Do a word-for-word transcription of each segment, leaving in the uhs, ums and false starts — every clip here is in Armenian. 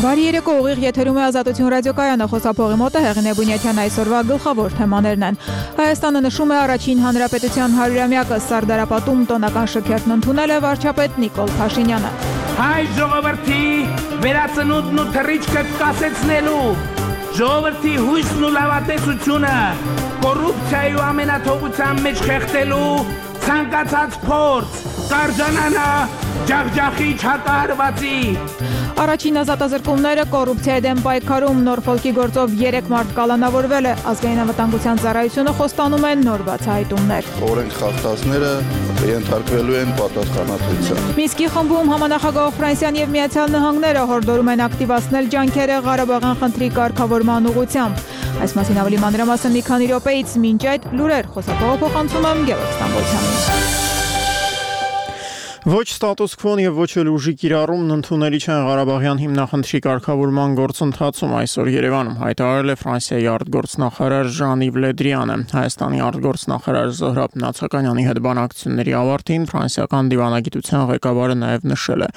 Բարի երեկո, ուղիղ եթերում է Ազատություն ռադիոկայանը, խոսափողի մոտ է Հեղինե Բունյաթյան, այսօրվա գլխավոր թեմաներն են։ Հայաստանը նշում է առաջին հանրապետության հարյուրամյակը, Սարդարապատում տոնական շքերթն ընդունել է վարչապետ Նիկոլ Փաշինյանը։ Հայ ժողովրդի վերածնունդն ու թռիչքը կասեցնելու, ժողովրդի հույսն ու լավատեսությունը, կոռուպցիայի ու ամենաթողության մեջ խեղդելու ցանկացած փորձ կարժանանա ջախջախիչ հակահարվածի։ Առաջին ազատազրկումները կոռուպցիայի դեմ պայքարում Նորֆոլկի գործով երեք մարդ կալանավորվել է, ազգային անվտանգության ծառայությունը խոստանում է նոր բացահայտումներ։ Օրենք խախտածները ենթարկվելու են պատասխանատվության։ Մինսկի խմբում համանախագահ Ֆրանսիան եւ Միացյալ Նահանգները հորդորում են ակտիվացնել ջանքերը Ղարաբաղյան խնդրի կարգավորման ուղղությամբ։ Այս մասին ավելի մանրամասն մի քանի րոպեից, մինչ այդ լուրեր խոսափողը փոխանցում եմ Գևորգ Ստամբոլցյանին։ Ոչ ստատուս քվոն եւ ոչ էլ ուժի կիրառումն ընդունելի չեն Ղարաբաղյան հիմնախնդրի կարգավորման գործընթացում, այսօր Երևանում հայտարարել է Ֆրանսիայի արտգործնախարար Ժան-Իվ Լե Դրիանը։ Հայաստանի արտգործնախարար Զոհրաբ Նացականյանի հետ բանակցությունների ավարտին ֆրանսիական դիվանագիտության ղեկավարը նաեւ նշել է.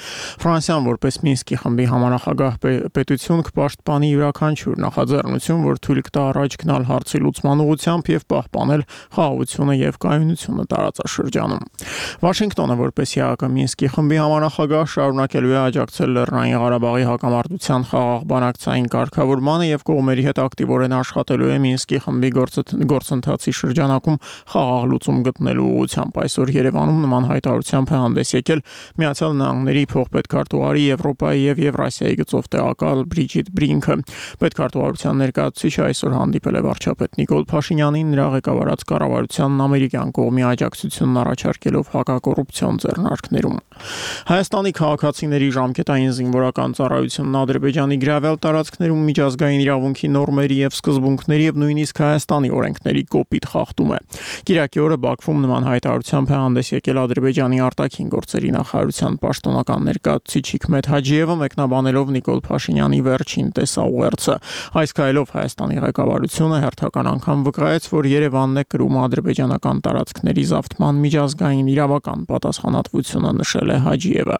Ֆրանսիան որպես Մինսկի խմբի համանախագահ պետություն կպաշտպանի յուրաքանչյուր նախաձեռնություն, որ թույլ կտա առաջ գնալ հարցի լուծման ուղղությամբ եւ պահպանել խաղաղությունը եւ կայունությունը տարածաշրջանում։ Վաշինգտոնը որպես Մինսկի խմբի համանախագահ շարունակելու է աջակցել Լեռնային Ղարաբաղի հակամարտության խաղաղ բանակցային կարգավորմանը եւ կողմերի հետ ակտիվորեն աշխատելու է Մինսկի խմբի գործընթացի շրջանակում խաղաղ լուծում գտնելու ուղղությամբ։ Այսօր Երևանում նման հայտարարությամբ է հանդես եկել Միացյալ Նահանգների փոխպետքարտուղարի Եվրոպայի եւ Եվրասիայի գծով տեղակալ Բրիջիտ Բրինքը։ Պետքարտուղարության ներկայացուցիչը այսօր հանդիպել է վարչապետ Նիկոլ Փաշինյանին, նրա ղեկավարած կառավարությանն ամերիկյան կողմի աջակցությունն առաջարկելով հակակոռուպցիոն ձեռնարկներ։ Հայաստանի քաղաքացիների ժամկետային զինվորական ծառայությունն Ադրբեջանի գրավել տարածքներում միջազգային իրավունքի նորմերի եւ սկզբունքների եւ նույնիսկ Հայաստանի օրենքների կոպիտ խախտում է։ Կիրակի օրը Բաքվում նման հայտարարությամբ է հանդես եկել Ադրբեջանի արտաքին գործերի նախարարության պաշտոնական ներկայացուցիչ Հիկմետ Հաջիևը, մեկնաբանելով Նիկոլ Փաշինյանի վերջին տեսաուղերձը։ Այս քայլով Հայաստանի ղեկավարությունը հերթական անգամ վկայեց, որ Երևանն է կրում ադրբեջանական տարածքների զավթման միջազգային իրավական պատասխանատվությունը, նշել է Հաջիևը։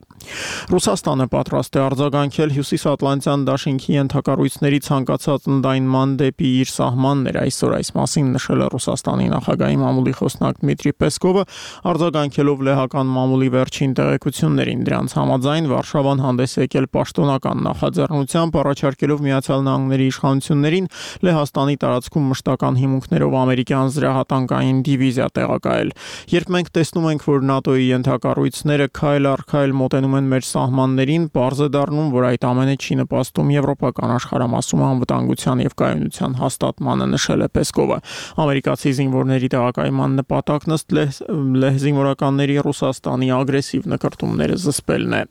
Ռուսաստանը պատրաստ է արձագանքել Հյուսիսատլանտյան դաշինքի ենթակառույցների ցանկացած ընդայնման դեպի իր սահմաններ, այսօր այս մասին նշել է Ռուսաստանի նախագահի մամուլի խոսնակ Դմիտրի Պեսկովը, արձագանքելով լեհական մամուլի վերջին տեղեկություններին։ Դրանց համաձայն Վարշավան հանդես եկել պաշտոնական նախաձեռնությամբ, առաջարկելով Միացյալ Նահանգների իշխանություններին Լեհաստանի տարածքում մշտական հիմունքներով ամերիկյան զրահատանկային դիվիզիա տեղակայել։ Երբ մենք տեսնում ենք, որ ՆԱՏՕ-ի ենթակառույցները քայլ առ քայլ մոտենում են մեր սահմաններին, պարզ է դառնում, որ այդ ամենը չի նպաստում եվրոպական աշխարհամասում անվտանգության եւ կայունության հաստատմանը, նշել է Պեսկովը։ Ամերիկացի զինվորների տեղակայման նպատակն ըստ լեհ զինվորականների Ռուսաստանի ագրեսիվ նկրտումները զսպելն է։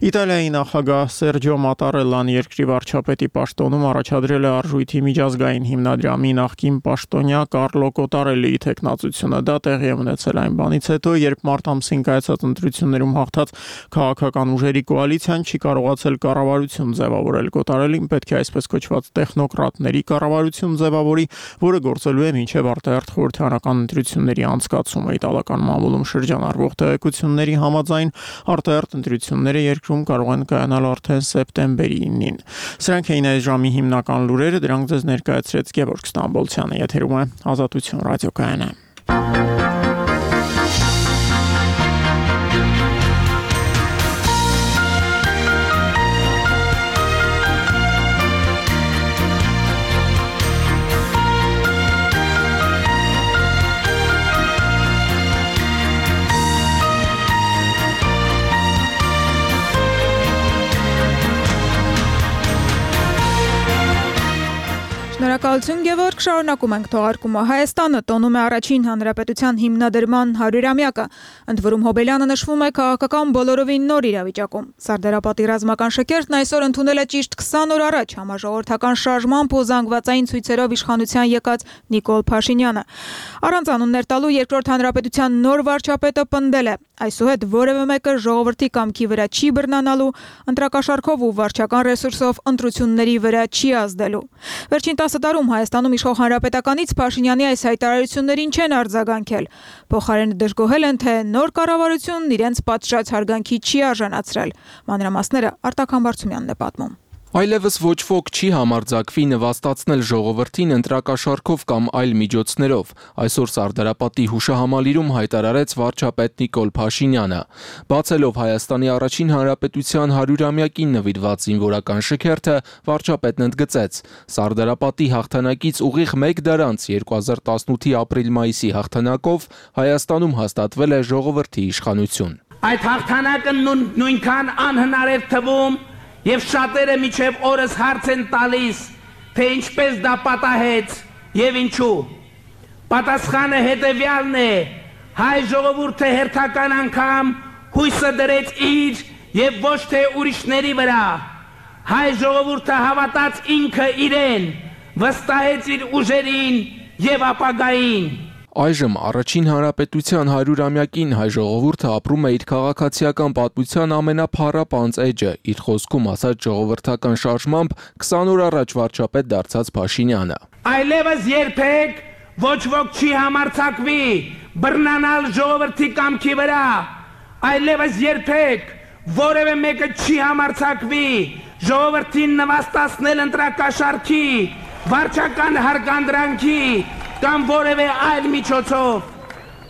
Իտալիայի նախագահ Սերջո Մատարելլան երկրի վարչապետի պաշտոնում առաջադրել է արժույթի միջազգային հիմնադրամի նախկին պաշտոնյա Կարլո Կոտարելիի թեկնածությունը։ Դա տեղի է ունեցել այն բանից հետո, երբ մարտ ամսին կայացած ընտրություններում հաղթած քաղաքական ուժերի կոալիցիան չի կարողացել կառավարություն ձևավորել։ Կոտարելին պետք է այսպես կոչված տեխնոկրատների կառավարություն ձևավորի, որը գործելու է մինչև արտահերթ խորհրդարանական ընտրությունների անցկացումը։ Իտալական մամուլում շրջանառվող տեղեկությունների համաձայն արտահերթ ընտրությունները երկրում կարող են կայանալ արդեն սեպտեմբերի իննին։ Սրանք էին այս ժամի հիմնական լուրերը, դրանք ձեզ ներկայացրեց Գևորգ Ստամբոլցյանը, եթերում է Ազատություն ռադիոկայանը։ Շնորհակալություն Գևորգ, շարունակում ենք թողարկումը։ Հայաստանը տոնում է առաջին հանրապետության հիմնադրման հարյուրամյակը, ընդ որում Հոբելյանը նշվում է քաղաքական բոլորովին նոր իրավիճակում։ Սարդարապատի ռազմական շքերթն այսօր ընդունել է ճիշտ քսան օր առաջ համաժողովրդական շարժմամբ ու զանգվածային ցույցերով իշխանության եկած Նիկոլ Փաշինյանը։ Առանց անուններ տալու երկրորդ հանրապետության նոր վարչապետը պնդել է. այսուհետ որևէ մեկը ժողովրդի կամքի վրա չի բռնանալու, ընտրակաշառքով ու վարչական ռեսուրսով ընտրությունների վրա չի ազդելու։ Վերջին տասը տարում Հայաստանում իշխող հանրապետականից Փաշինյանի այս հայտարարություններին չեն արձագանքել։ Փոխարենը դժգոհել են, թե նոր կառավարությունն իրենց պատշաճ հարգանքի չի արժանացրել։ Մանրամասները Արտակ Համբարձումյանն է պատմում։ Այլևս ոչ ոք չի համարձակվի նվաստացնել ժողովրդին ընտրակաշառքով կամ այլ միջոցներով, այսօր Սարդարապատի հուշահամալիրում հայտարարեց վարչապետ Նիկոլ Փաշինյանը։ Բացելով Հայաստանի առաջին հանրապետության հարյուրամյակին նվիրված զինվորական շքերթը, վարչապետն ընդգծեց. Սարդարապատի հաղթանակից ուղիղ մեկ դար անց երկու հազար տասնութի ապրիլ-մայիսի հաղթանակով Հայաստանում հաստատվել է ժողովրդի իշխանություն։ Այդ հաղթանակը նույնքան անհնար էր թվում, եւ շատերը միջև օրս հարց են տալիս, թե ինչպես դա պատահեց եւ ինչու։ Պատասխանը հետեւյալն է. հայ ժողովուրդը հերթական անգամ հույսը դրեց իր եւ ոչ թե ուրիշների վրա։ Հայ ժողովուրդը հավատաց ինքը իրեն, վստահեց իր ուժերին եւ ապագային։ Այժմ առաջին հանրապետության հարյուրամյակին հայ ժողովուրդը ապրում է իր քաղաքացիական պատմության ամենափառապանծ էջը, իր խոսքում ասած ժողովրդական շարժմամբ քսան օր առաջ վարչապետ դարձած Փաշինյանը։ Այլևս երբեք ոչ ոք չի համարձակվի բռնանալ ժողովրդի կամքի վրա, այլևս երբեք որևէ մեկը չի համարձակվի ժողովրդին նվաստացնել ընտրակաշառքի, վարչական հարգանդրանքի կամ որևէ այլ միջոցով։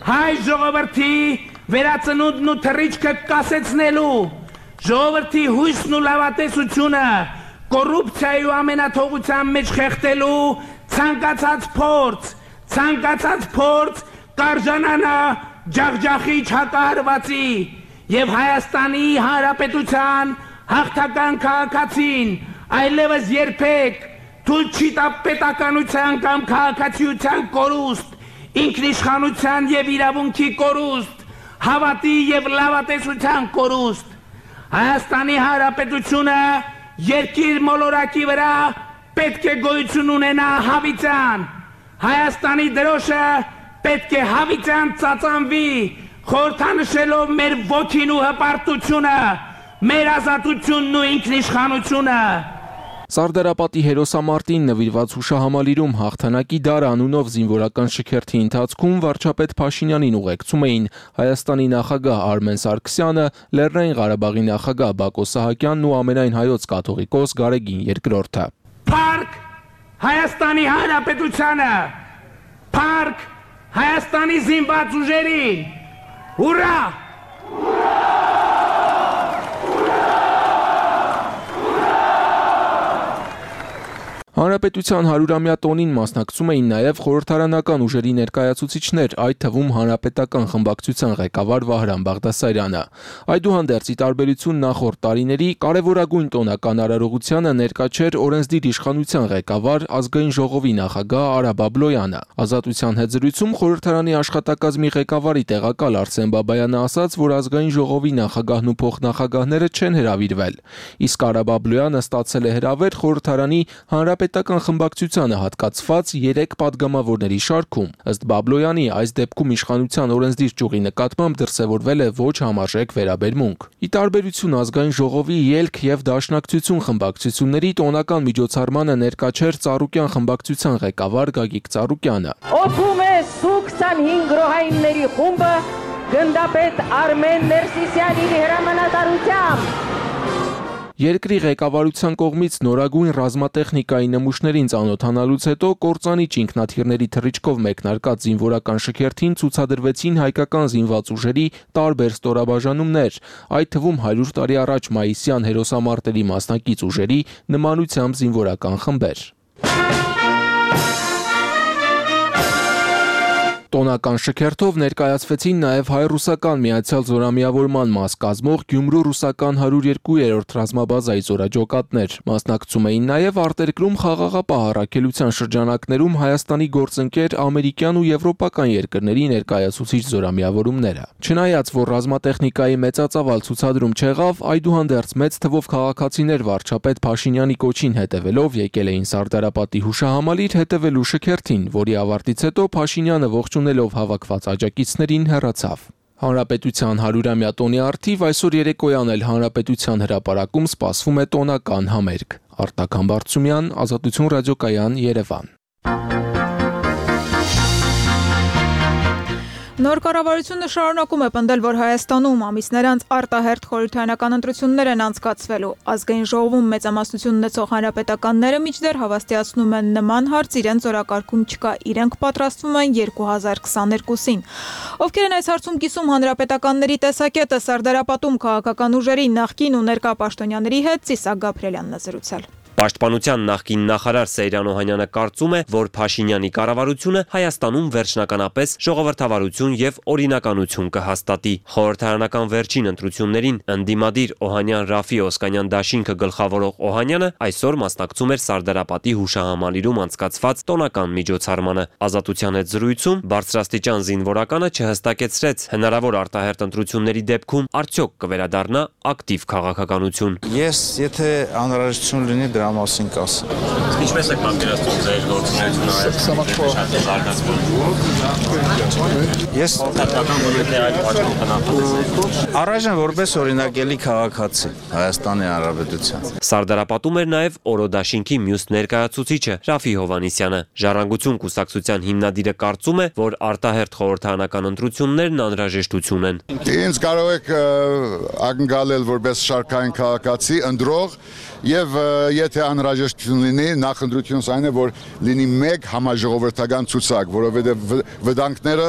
Հայ ժողովրդի վերածնունդն ու թռիչքը կասեցնելու, ժողովրդի հույսն ու լավատեսությունը կոռուպցիայի ու ամենաթողության մեջ խեղդելու ցանկացած փորձ, ցանկացած փորձ կարժանանա ջախջախիչ հակահարվածի եւ Հայաստանի Հանրապետության հաղթական քաղաքացին այլևս երբեք թույլ չի տա պետականության կամ քաղաքացիության կորուստ, ինքնիշխանության եւ իրավունքի կորուստ, հավատի եւ լավատեսության կորուստ։ Հայաստանի Հանրապետությունը երկիր մոլորակի վրա պետք է գոյություն ունենա հավիտյան։ Հայաստանի դրոշը պետք է հավիտյան ծածանվի, խորհրդանշելով մեր ոգին ու հպարտությունը, մեր ազատությունն ու ինքնիշխանությունը։ Սարդարապատի հերոսամարտին նվիրված հուշահամալիրում հաղթանակի դար անունով զինվորական շքերթի ընթացքում վարչապետ Փաշինյանին ուղեկցում էին Հայաստանի նախագահ Արմեն Սարգսյանը, Լեռնային Ղարաբաղի նախագահ Բակո Սահակյանն ու ամենայն հայոց կաթողիկոս Գարեգին երկրորդը։ Փառք Հայաստանի Հանրապետությանը, փառք Հայաստանի զինված ուժերին, հուրա! Հանրապետության հարյուրամյա տոնին մասնակցում էին նաև խորհրդարանական ուժերի ներկայացուցիչներ, այդ թվում հանրապետական խմբակցության ղեկավար Վահրամ Բաղդասարյանը։ Այդուհանդերձ, ի տարբերություն նախորդ տարիների, կարևորագույն տոնական արարողությանը ներկա չէր օրենսդիր իշխանության ղեկավար ազգային ժողովի նախագահ Արա Բաբլոյանը։ Ազատության հետ զրույցում խորհրդարանի աշխատակազմի ղեկավարի տեղակալ Արսեն Բաբայանը ասաց, որ ազգային ժողովի նախագահն ու փոխնախագահները չեն հրավիրվել, իսկ Արա Բաբլոյանը ստացել է հրավեր խորհրդարանի հանրապետական խմբակցությանը հատկացված երեք падգամավորների շարքում։ Ըստ Բաբլոյանի, այս դեպքում իշխանության օրենսդիր ճյուղի նկատմամբ դրսևորվել է ոչ համարժեք վերաբերմունք։ Ի տարբերություն ազգային ժողովի ելք եւ դաշնակցություն խմբակցությունների տոնական միջոցառմանը ներկա չէր Ծառուկյան խմբակցության ղեկավար Գագիկ Ծառուկյանը։ Օգում է Սու քսանհինգ գրոհայինների խումբը գնդապետ Արմեն Ներսիսյանի հրամանատարությամբ։ Երկրի ղեկավարության կողմից նորագույն ռազմատեխնիկայի նմուշներին ծանոթանալուց հետո կործանիչ ինքնաթիռների թռիչքով մեկնարկած զինվորական շքերթին ցուցադրվեցին հայկական զինված ուժերի տարբեր ստորաբաժանումներ, այդ թվում հարյուր տարի առաջ մայիսյան հերոսամարտերի մասնակից ուժերի նմանությամբ զինվորական խմբեր։ Տոնական շքերթով ներկայացվեցին նաև հայ-ռուսական միացյալ զորամիավորման մաս կազմող Գյումրու ռուսական հարյուր երկու-րդ ռազմաբազայի զորաջոկատներ։ Մասնակցում էին նաև արտերկրում խաղաղապահ առաքելության շրջանակներում Հայաստանի գործընկեր ամերիկյան ու եվրոպական երկրների ներկայացուցիչ զորամիավորումները։ Չնայած որ ռազմատեխնիկայի մեծածավալ ցուցադրում չեղավ, այդուհանդերձ մեծ թվով քաղաքացիներ վարչապետ Փաշինյանի կոչին հետևելով եկել էին Սարդարապատի հուշահամալիր հետևելու շքերթին, որի ավարտից հետո Փաշինյանը ողջունելով հավաքված աջակիցներին հեռացավ։ Հանրապետության հարյուրամյա տոնի առթիվ այսօր երեկոյան էլ Հանրապետության հրապարակում սպասվում է տոնական համերգ։ Արտակ Համբարձումյան, Ազատություն ռադիոկայան, Երևան։ Նոր կառավարությունը շարունակում է պնդել, որ Հայաստանում ամիսներ անց արտահերթ խորհրդարանական ընտրություններ են անցկացվելու։ Ազգային ժողովում մեծամասնություն ունեցող հանրապետականները մինչդեռ հավաստիացնում են նման հարց իրենց օրակարգում չկա, իրենք պատրաստվում են երկու հազար քսաներկուսին։ Ովքեր են այս հարցում կիսում հանրապետականների տեսակետը, Սարդարապատում քաղաքական ուժերի նախկին ու ներկա պաշտոնյաների հետ Ծիսակ Գաբրելյանն է զրուցել։ Պաշտպանության նախկին նախարար Սեյրան Օհանյանը կարծում է, որ Փաշինյանի կառավարությունը Հայաստանում վերջնականապես ժողովրդավարություն եւ օրինականություն կհաստատի։ Խորհրդարանական վերջին ընտրություններին ընդդիմադիր Օհանյան-Ռաֆի Օսկանյան դաշինքը գլխավորող Օհանյանը այսօր մասնակցում էր Սարդարապատի հուշահամալիրում անցկացված տոնական միջոցառմանը։ Ազատության հետ զրույցում բարձրաստիճան զինվորականը չհստակեցրեց հնարավոր արտահերթ ընտրությունների դեպքում արդյոք կվերադառնա ակտիվ քաղաքականություն։ Ես եթե անհրաժեշտություն լինի դրա մասին կասեմ։ Ինչպես եք պատկերացնում ձեր գործունեությունը Ես առայժմ որպես օրինակելի քաղաքացի Հայաստանի Հանրապետության։ Սարդարապատում էր նաև Օրոդաշինքի մյուս ներկայացուցիչը Ռաֆի Հովհաննիսյանը։ Ժառանգություն կուսակցության հիմնադիրը կարծում է, որ արտահերթ խորհրդարանական ընտրություններն անհրաժեշտություն են։ Ինձ կարող եք ակնկալել որպես շարքային քաղաքացի ընտրող եւ եթե անհրաժեշտություն լինի, նախընտրությունս այն է, որ լինի մեկ համաժողովրդական ցուցակ, որովհետեւ վտանգները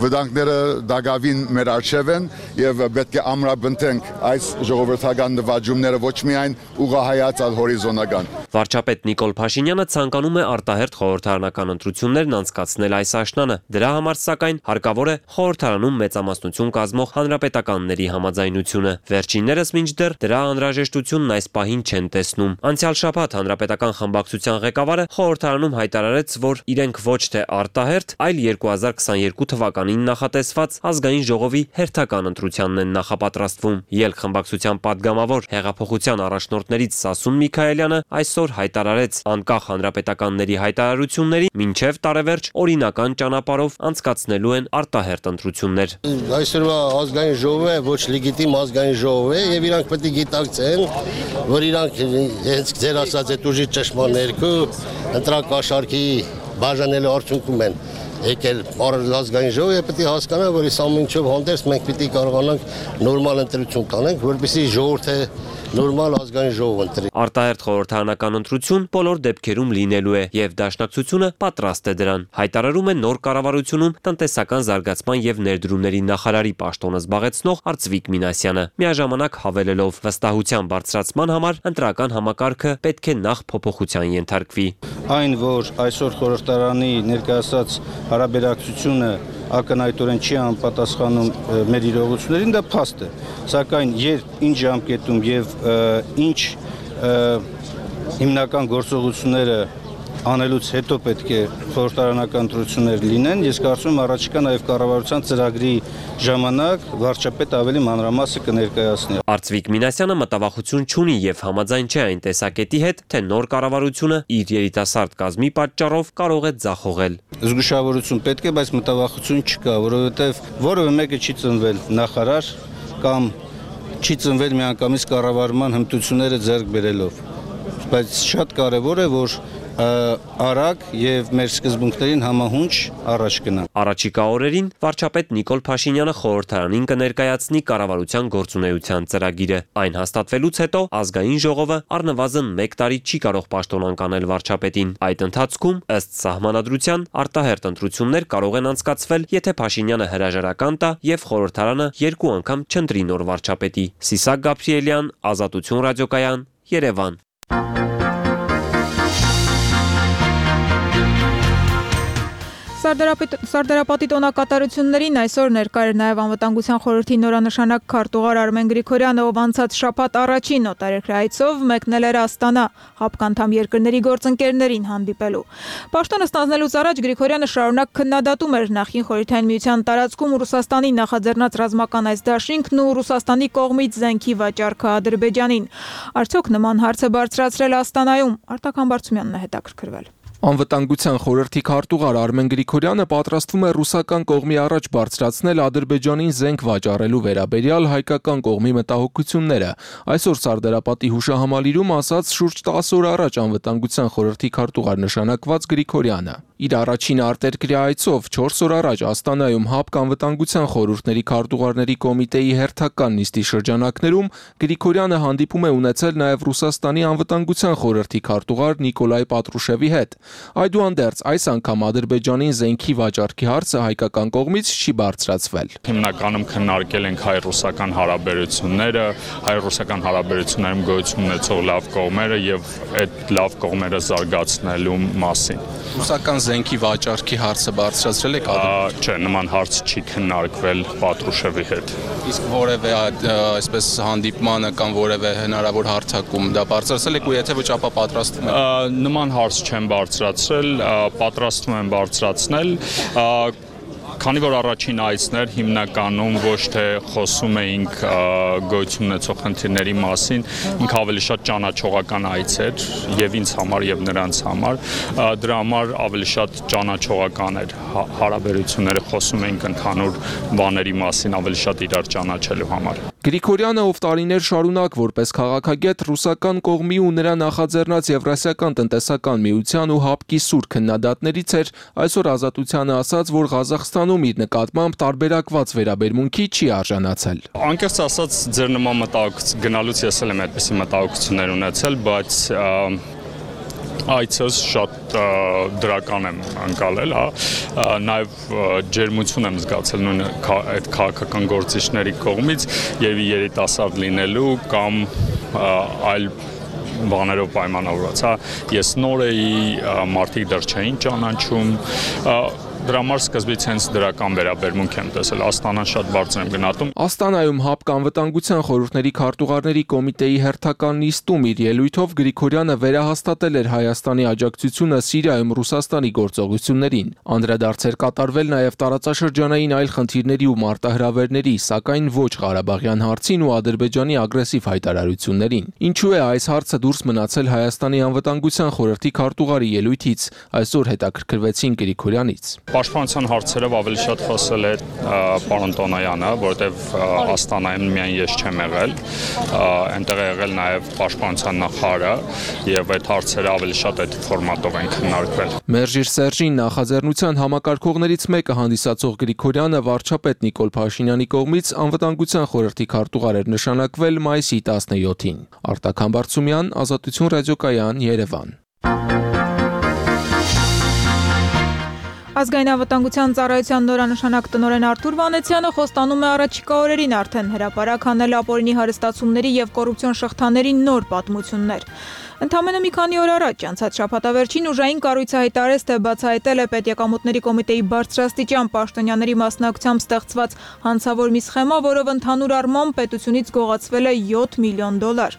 վտանգները դակավին մեր առջև են եւ պետք է ամրապնդենք այս ժողովրդական նվաճումները ոչ միայն ուղղահայաց, այլ հորիզոնական։ Վարչապետ Նիկոլ Փաշինյանը ցանկանում է արտահերթ խորհրդարանական ընտրություններն անցկացնել այս աշնանը։ Դրա համար սակայն հարկավոր է խորհրդարանում մեծամասնություն կազմող հանրապետականների համաձայնությունը։ Վերջիններս մինչդեռ դրա անհրաժեշտությունն այս պահին չեն տեսնում։ Անցյալ շաբաթ հանրապետական խմբակցության ղեկավարը խորհրդարանում հայտարարեց, որ իրենք ոչ թե արտահերթ, այլ երկու հազար քսաներկու թվականին նախատեսված ազգային ժողովի հերթական ընտրությանն են նախապատրաստվում։ Ելք խմբակցության падգամավոր հեղափոխության առաջնորդներից Սասուն Միքայելյանը այսօր հայտարարեց անկախ հանրապետականների հայտարարությունների մինչև տարեվերջ օրինական ճանապարհով անցկացնելու են արտահերթ ընտրություններ։ Այսօրվա ազգային ժողովը ոչ լեգիտիմ ազգային ժողով է եւ իրանք պետք է գիտակցեն, որ իրանք հենց ձեր ասած այդ ուժի ճշմարտ ներքո ընտրակաշարքի բաժանելու արդյունքում են եկել ազգային ժողովը պետք է հասկանա, որ այս ամեն ինչով հանդերձ մենք պետք է կարողանանք նորմալ ընտրություն կանենք, որպեսզի ժողովուրդը նորմալ ազգային ժողով ընտրի։ Արտահերթ խորհրդարանական ընտրություն բոլոր դեպքերում լինելու է եւ դաշնակցությունը պատրաստ է դրան։ Հայտարարում է նոր կառավարությունում տնտեսական զարգացման եւ ներդրումների նախարարի պաշտոնը զբաղեցնող Արծվիկ Մինասյանը, միաժամանակ հավելելով վստահության բարձրացման համար ընտրական համակարգը պետք է նախ փոփոխության ենթարկվի։ Այն, որ այսօր խորհրդարանի ներկայացած հարաբերակցությունը ակնհայտորեն չի անպատասխանում մեր իրողություններին, դա փաստ է։ Սակայն երբ ինչ ժամկետում եւ ինչ հիմնական գործողությունները անելուց հետո պետք է խորհրդարանական ընտրություններ լինեն, ես կարծում եմ առաջիկա նաև կառավարության ծրագրի ժամանակ վարչապետ ավելի մանրամասը կներկայացնի։ Արծվիկ Մինասյանը մտավախություն չունի եւ համաձայն չէ այն տեսակետի հետ, թե նոր կառավարությունը իր երիտասարդ կազմի պատճառով կարող է ձախողել։ Զգուշավորություն պետք է, բայց մտավախություն չկա, որովհետեւ որևէ մեկը չի ծնվել նախարար կամ չի ծնվել միանգամից կառավարման հմտությունները ձեռք բերելով։ Բայց շատ կարեւոր է, որ արագ եւ մեր սկզբունքներին համահունչ առաջ գնա։ Առաջիկա օրերին վարչապետ Նիկոլ Փաշինյանը խորհրդարանին կներկայացնի կառավարության գործունեության ծրագիրը։ Այն հաստատվելուց հետո ազգային ժողովը առնվազն մեկ տարի չի կարող պաշտոնանկ անել վարչապետին։ Այդ ընթացքում ըստ սահմանադրության արտահերթ ընտրություններ կարող են անցկացվել, եթե Փաշինյանը հրաժարական տա եւ խորհրդարանը երկու անգամ չընտրի նոր վարչապետի։ Ծիսակ Գաբրելյան, Ազատություն ռադիոկայան, Երևան։ Սարդարապատի տոնակատարություններին այսօր ներկա էր նաև անվտանգության խորհրդի նորանշանակ քարտուղար Արմեն Գրիգորյանը, ով անցած շաբաթ առաջին օտարերկրյա այցով մեկնել էր Աստանա հապկանդամ երկրների գործընկերներին հանդիպելու։ Պաշտոնը ստանձնելուց առաջ Գրիգորյանը շարունակ քննադատում էր նախին խորհրդային միության տարածքում Ռուսաստանի նախաձեռնած ռազմական այս դաշինքն ու Ռուսաստանի կողմից զենքի վաճառքը Ադրբեջանին։ Արդյոք նման հարց է բարձրացրել Աստանայում։ Արտակ Համբարձումյանն է հետաքրքրվել։ Անվտանգության խորհրդի քարտուղար Արմեն Գրիգորյանը պատրաստվում է ռուսական կողմի առաջ բարձրացնել Ադրբեջանին զենք վաճառելու վերաբերյալ հայկական կողմի մտահոգությունները։ Այսօր Սարդարապատի հուշահամալիրում ասաց շուրջ տասը օր առաջ անվտանգության խորհրդի քարտուղար նշանակված Գրիգորյանը։ Իր առաջին արտերկրյա այցով չորս օր առաջ Աստանայում ՀԱՊԿ անվտանգության խորհուրդների քարտուղարների կոմիտեի հերթական նիստի շրջանակներում Գրիգորյանը հանդիպում է ունեցել նաև Ռուսաստանի անվտանգության խորհրդի քարտուղար Նիկոլայ Պատրուշևի հետ։ Այդուհանդերձ այս անգամ Ադրբեջանին զենքի վաճառքի հարցը հայկական կողմից չի բարձրացվել։ Հիմնականում քննարկել ենք հայ-ռուսական հարաբերությունները, հայ-ռուսական հարաբերություններում գոյություն ունեցող լավ կողմերը եւ այդ լավ կողմերը զարգացնելու մասին։ Ռուսական զենքի վաճառքի հարցը բարձրացրել եք Ադրբեջանը։ Չէ, նման հարց չի քննարկվել Պատրուշևի հետ։ Իսկ որևէ այսպես հանդիպմանը կամ որևէ հնարավոր հարցակում դա բարձրացրել եք ու եթե ոչ ապա պատրաստվում եք։ Նման հարց չեմ բարձրացրել, պատրաստվում եմ բարձրացնել։ Քանի որ առաջին այցներ հիմնականում ոչ թե խոսում էինք գոյություն ունեցող խնդիրների մասին, ինքը ավելի շատ ճանաչողական այց էր եւ ինձ համար եւ նրանց համար, դրա համար ավելի շատ ճանաչողական էր հարաբերությունները, խոսում էինք ընդհանուր բաների մասին, ավելի շատ իրար ճանաչելու համար։ Գրիգորյանը, ով տարիներ շարունակ որպես քաղաքագետ ռուսական կողմի ու նրա նախաձեռնած Եվրասիական տնտեսական միության ու ՀԱՊԿ-ի սուր քննադատներից էր, այսօր Ազատությանը ասաց, որ Ղազախստանում իր նկատմամբ տարբերակված վերաբերմունքի չի արժանացել։ Անկեղծ ասած, ձեր նման մտահոգություն գնալուց ես էլ եմ այդպիսի մտահոգություններ ունեցել, բայց այցս շատ դրական եմ անցալել, հա, նաև ջերմություն եմ զգացել նույն այդ քաղաքական գործիչների կողմից եւ երիտասարդ լինելու կամ այլ բաներով պայմանավորված, հա, ես նոր էի, մարդիկ դեռ չէին ճանաչում, դրա համար սկզբից հենց դրական վերաբերմունք եմ տեսել, Աստանան շատ բարձր եմ գնահատում։ Աստանայում ՀԱՊԿ անվտանգության խորհուրդների քարտուղարների կոմիտեի հերթական նիստում իր ելույթով Գրիգորյանը վերահաստատել էր Հայաստանի աջակցությունը Սիրիայում Ռուսաստանի գործողություններին։ Անդրադարձեր կատարվել նաև տարածաշրջանային այլ խնդիրների ու մարտահրավերների, սակայն ոչ Ղարաբաղյան հարցին ու Ադրբեջանի ագրեսիվ հայտարարություններին։ Ինչու է այս հարցը դուրս մնացել Հայաստանի անվտանգության խորհրդի քարտուղարի ելույթից, այսօր հետաքրքրվեցին Գրիգորյանից։ Պաշտպանության հարցերով ավելի շատ խոսել է պարոն Տոնոյանը, որովհետև Աստանայում միայն ես չեմ եղել, այնտեղ է եղել նաև պաշտպանության նախարարը եւ այդ հարցերը ավելի շատ այդ ֆորմատով են քննարկվել։ Մերժիր Սերժին նախաձեռնության համակարգողներից մեկը հանդիսացող Գրիգորյանը վարչապետ Նիկոլ Փաշինյանի կողմից անվտանգության խորհրդի քարտուղար էր նշանակվել մայիսի տասնյոթին։ Արտակ Համբարձումյան, Ազատություն ռադիոկայան, Երևան։ Ազգային անվտանգության ծառայության նորանշանակ տնօրեն Արթուր Վանեցյանը խոստանում է առաջիկա օրերին արդեն հրապարակ հանել ապօրինի հարստացումների եւ կոռուպցիոն շղթաների նոր պատմություններ։ Ընդամենը մի քանի օր առաջ անցած շաբաթավերջին ուժային կառույցը հայտարարեց, թե բացահայտել է Պետեկամուտների կոմիտեի բարձրաստիճան պաշտոնյաների մասնակցությամբ ստեղծված հանցավոր մի սխեմա, որով ընդհանուր առմամբ պետությունից գողացվել է յոթ միլիոն դոլար։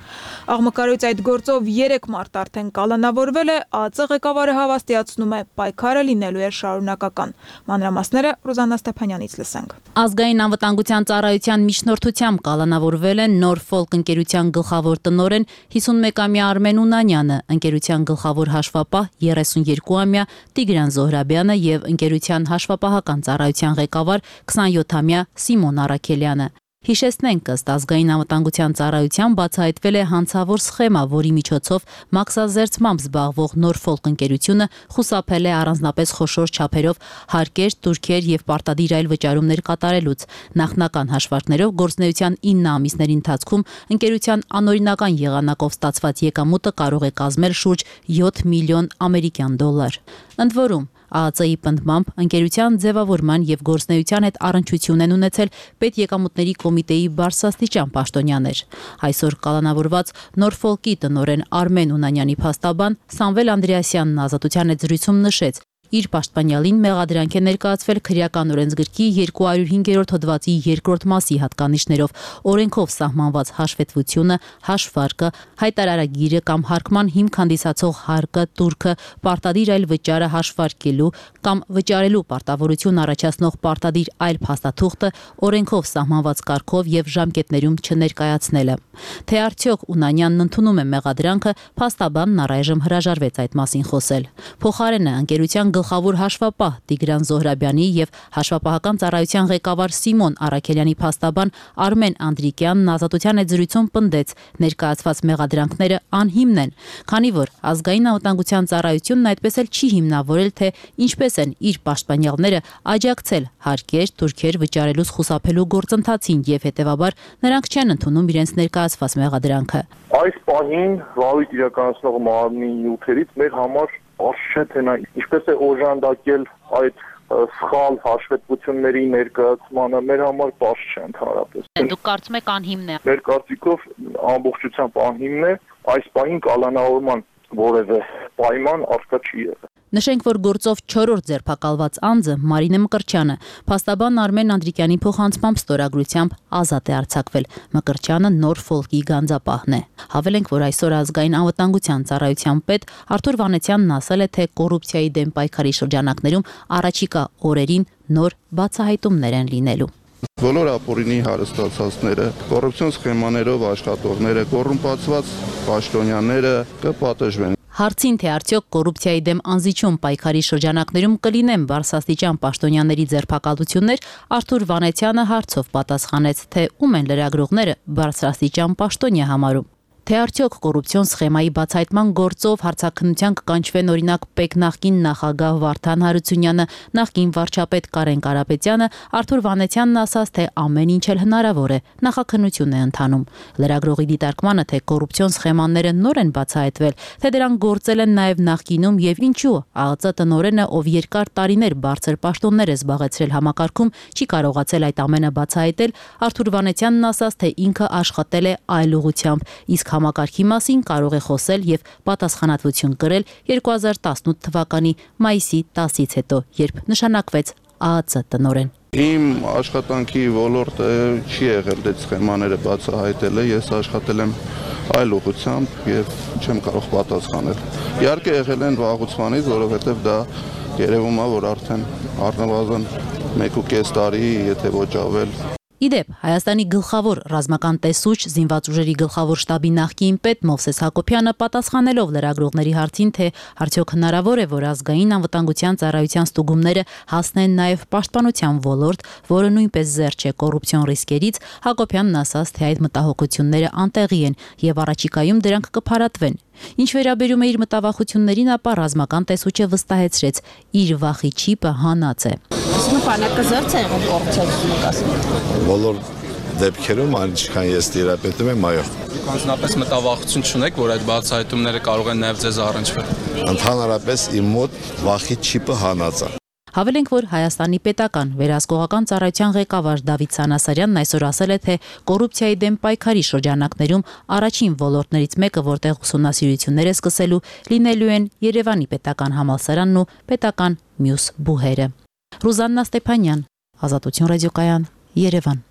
Աղմկարույց այդ գործով երեք մարդ արդեն կալանավորվել է, ԱԱԾ ղեկավարը հավաստիացնում է, պայքարը լինելու է շարունակական։ Մանրամասները Ռուզաննա Ստեփանյանից լսենք։ Ազգային անվտանգության ծառայության միջնորդությամբ կալանավորվել է Նորֆոլկ ընկերության գլխավոր տնօրեն հիսունմեկամյա Արմեն Ունանյանը, ընկերության գլխավոր հաշվապահ երեսունյոթամյա Տիգրան Զոհրաբյանը եւ ընկերության հաշվապահական ծառայության ղեկավար քսանյոթամյա Սիմոն Արաքելյանը։ Հիշեցնենք, ըստ ազգային անվտանգության ծառայության բացահայտվել է հանցավոր սխեմա, որի միջոցով մաքսազերծմամբ զբաղվող Նորֆոլկ ընկերությունը խուսափել է առանձնապես խոշոր չափերով հարկեր, տուրքեր եւ պարտադիր այլ վճարումներ կատարելուց։ Նախնական հաշվարկներով գործունեության ինը ամիսների ընթացքում ընկերության անօրինական եղանակով ստացված եկամուտը կարող է կազմել շուրջ յոթ միլիոն ամերիկյան դոլար։ Ընդ որում ԱԱԾ-ի պնդմամբ ընկերության ձևավորման եւ գործնեության հետ առնչություն են ունեցել պետեկամուտների կոմիտեի բարձրաստիճան պաշտոնյաներ։ Այսօր կալանավորված Նորֆոլկի տնօրեն Արմեն Ունանյանի փաստաբան Սամվել Անդրեասյանն Ազատության հետ զրույցում նշեց. Իր պաշտպանյալին մեղադրանք է ներկայացվել քրեական օրենսգրքի երկուհարյուր հինգերորդ հոդվածի երկրորդ մասի հատկանիշներով, օրենքով սահմանված հաշվետվությունը, հաշվարկը, հայտարարագիրը կամ հարկման հիմք հանդիսացող հարկը, տուրքը, պարտադիր այլ վճարը հաշվարկելու կամ վճարելու պարտավորություն առաջացնող պարտադիր այլ փաստաթուղթը օրենքով սահմանված կարգով եւ ժամկետներում չներկայացնելը։ Թե արդյոք Ունանյանն ընդունում է մեղադրանքը, փաստաբանն առայժմ հրաժարվեց այդ մասին խոսել։ Փոխարենը ընկերության գլխավոր հաշվապահ Տիգրան Զոհրաբյանի եւ հաշվապահական ծառայության ղեկավար Սիմոն Արաքելյանի փաստաբան Արմեն Անդրիկյանն Ազատության եզրույցում պնդեց ներկայացված մեղադրանքները անհիմն են, քանի որ ազգային անվտանգության ծառայությունն այդպես էլ չի հիմնավորել, թե ինչպես են իր պաշտպանյալները աջակցել հարկեր, թուրքեր վճարելուց խուսափելու գործընթացին եւ հետեւաբար նրանք չեն ընդունում իրենց ներկայացված մեղադրանքը։ Այս պահին վարույթ իրականացնող մարմնի նյութերից մեր համար բարձ չէ, թե նա ինչպես է օժանդակել այդ սխալ հաշվետվությունների ներկայացմանը, մեր համար բարձ չէ ընդհանրապես։ Դուք կարծում եք անհիմն է։ Մեր կարծիքով ամբողջությամբ անհիմն է, այս պահին կալանավորման որևէ պայման առկա չի եղել։ Նշենք, որ գործով չորրորդ ձերբակալված անձը Մարինե Մկրտչյանը փաստաբան Արմեն Անդրիկյանի փոխանցմամբ ստորագրությամբ ազատ է արձակվել։ Մկրտչյանը Նորֆոլկի գանձապահն է։ Հավելենք, որ այսօր ազգային անվտանգության ծառայության պետ Արթուր Վանեցյանն ասել է, թե կոռուպցիայի դեմ պայքարի շրջանակներում առաջիկա օրերին նոր բացահայտումներ են լինելու։ Բոլոր ապօրինի հարստացածները, կոռուպցիոն սխեմաներով աշխատողները, կոռումպացված պաշտոնյաները կպատժվեն։ Հարցին, թե արդյոք կոռուպցիայի դեմ անզիջում պայքարի շրջանակներում կլինեն բարձրաստիճան պաշտոնյաների ձերբակալություններ, Արթուր Վանեցյանը հարցով պատասխանեց, թե ում են լրագրողները բարձրաստիճան պաշտոնյա համարում։ Թե արդյոք կոռուպցիոն սխեմայի բացահայտման գործով հարցաքննության կկանչվեն օրինակ ՊԵԿ նախկին նախագահ Վարդան Հարությունյանը, նախկին վարչապետ Կարեն Կարապետյանը, Արթուր Վանեցյանն ասաց, թե ամեն ինչ էլ հնարավոր է, նախաքննություն է ընթանում։ Լրագրողի դիտարկմանը, թե կոռուպցիոն սխեմաները նոր են բացահայտվել, թե դրանք գործել են նաև նախկինում եւ ինչու ԱԱԾ տնօրենը, ով երկար տարիներ բարձր պաշտոններ է զբաղեցրել համակարգում, չի կարողացել այդ ամենը բացահայտել, Արթուր Վանեցյանն ասաց, թե ինքը աշխատել է այլ ուղղությամբ, իսկ համակարգի մասին կարող է խոսել եւ պատասխանատվություն կրել երկու հազար տասնութ թվականի մայիսի տասից հետո, երբ նշանակվեց ԱԱԾ տնօրեն։ Իմ աշխատանքի ոլորտը չի եղել այդ սխեմաները բացահայտելը, ես աշխատել եմ այլ ուղղությամբ եւ չեմ կարող պատասխանել։ Իհարկե եղել են վաղուց, որովհետեւ դա երևում է, որ արդեն առնվազն մեկ ու կես տարի, եթե ոչ ավել։ Իդեպ, Հայաստանի գլխավոր ռազմական տեսուչ, զինված ուժերի գլխավոր շտաբի նախկին պետ Մովսես Հակոբյանը պատասխանելով լրագրողների հարցին, թե արդյոք հնարավոր է, որ ազգային անվտանգության ծառայության ստուգումները հասնեն նաև պաշտպանության ոլորտ, որը նույնպես զերծ չէ կոռուպցիոն ռիսկերից, Հակոբյանն ասաց, թե այդ մտահոգությունները անտեղի են եւ առաջիկայում դրանք կփարատվեն։ Ինչ վերաբերում է իր մտավախություններին, ապա ռազմական տեսուչը վստահեցրեց, իր վախի չիպը հանած է։ Նպանակը զերծ է եղել կոռուպցիայի նկատմամբ։ Բոլոր դեպքերում այնքան ես տիրապետում եմ, այո։ Դուք անձնապես մտավախություն չունեք, որ այդ բացահայտումները կարող են նաև ձեզ առնչվել։ Ընդհանրապես իմ մոտ վախի չիպը հանած է։ Հավելենք, որ Հայաստանի պետական վերահսկողական ծառայության ղեկավար Դավիթ Սանասարյանն այսօր ասել է, թե կոռուպցիայի դեմ պայքարի շրջանակներում առաջին ոլորտներից մեկը, որտեղ ուսումնասիրություններ է սկսելու, լինելու են Երևանի պետական համալսարանն ու պետական մյուս բուհերը։ Ռուզաննա Ստեփանյան, Ազատություն ռադիոկայան, Երևան։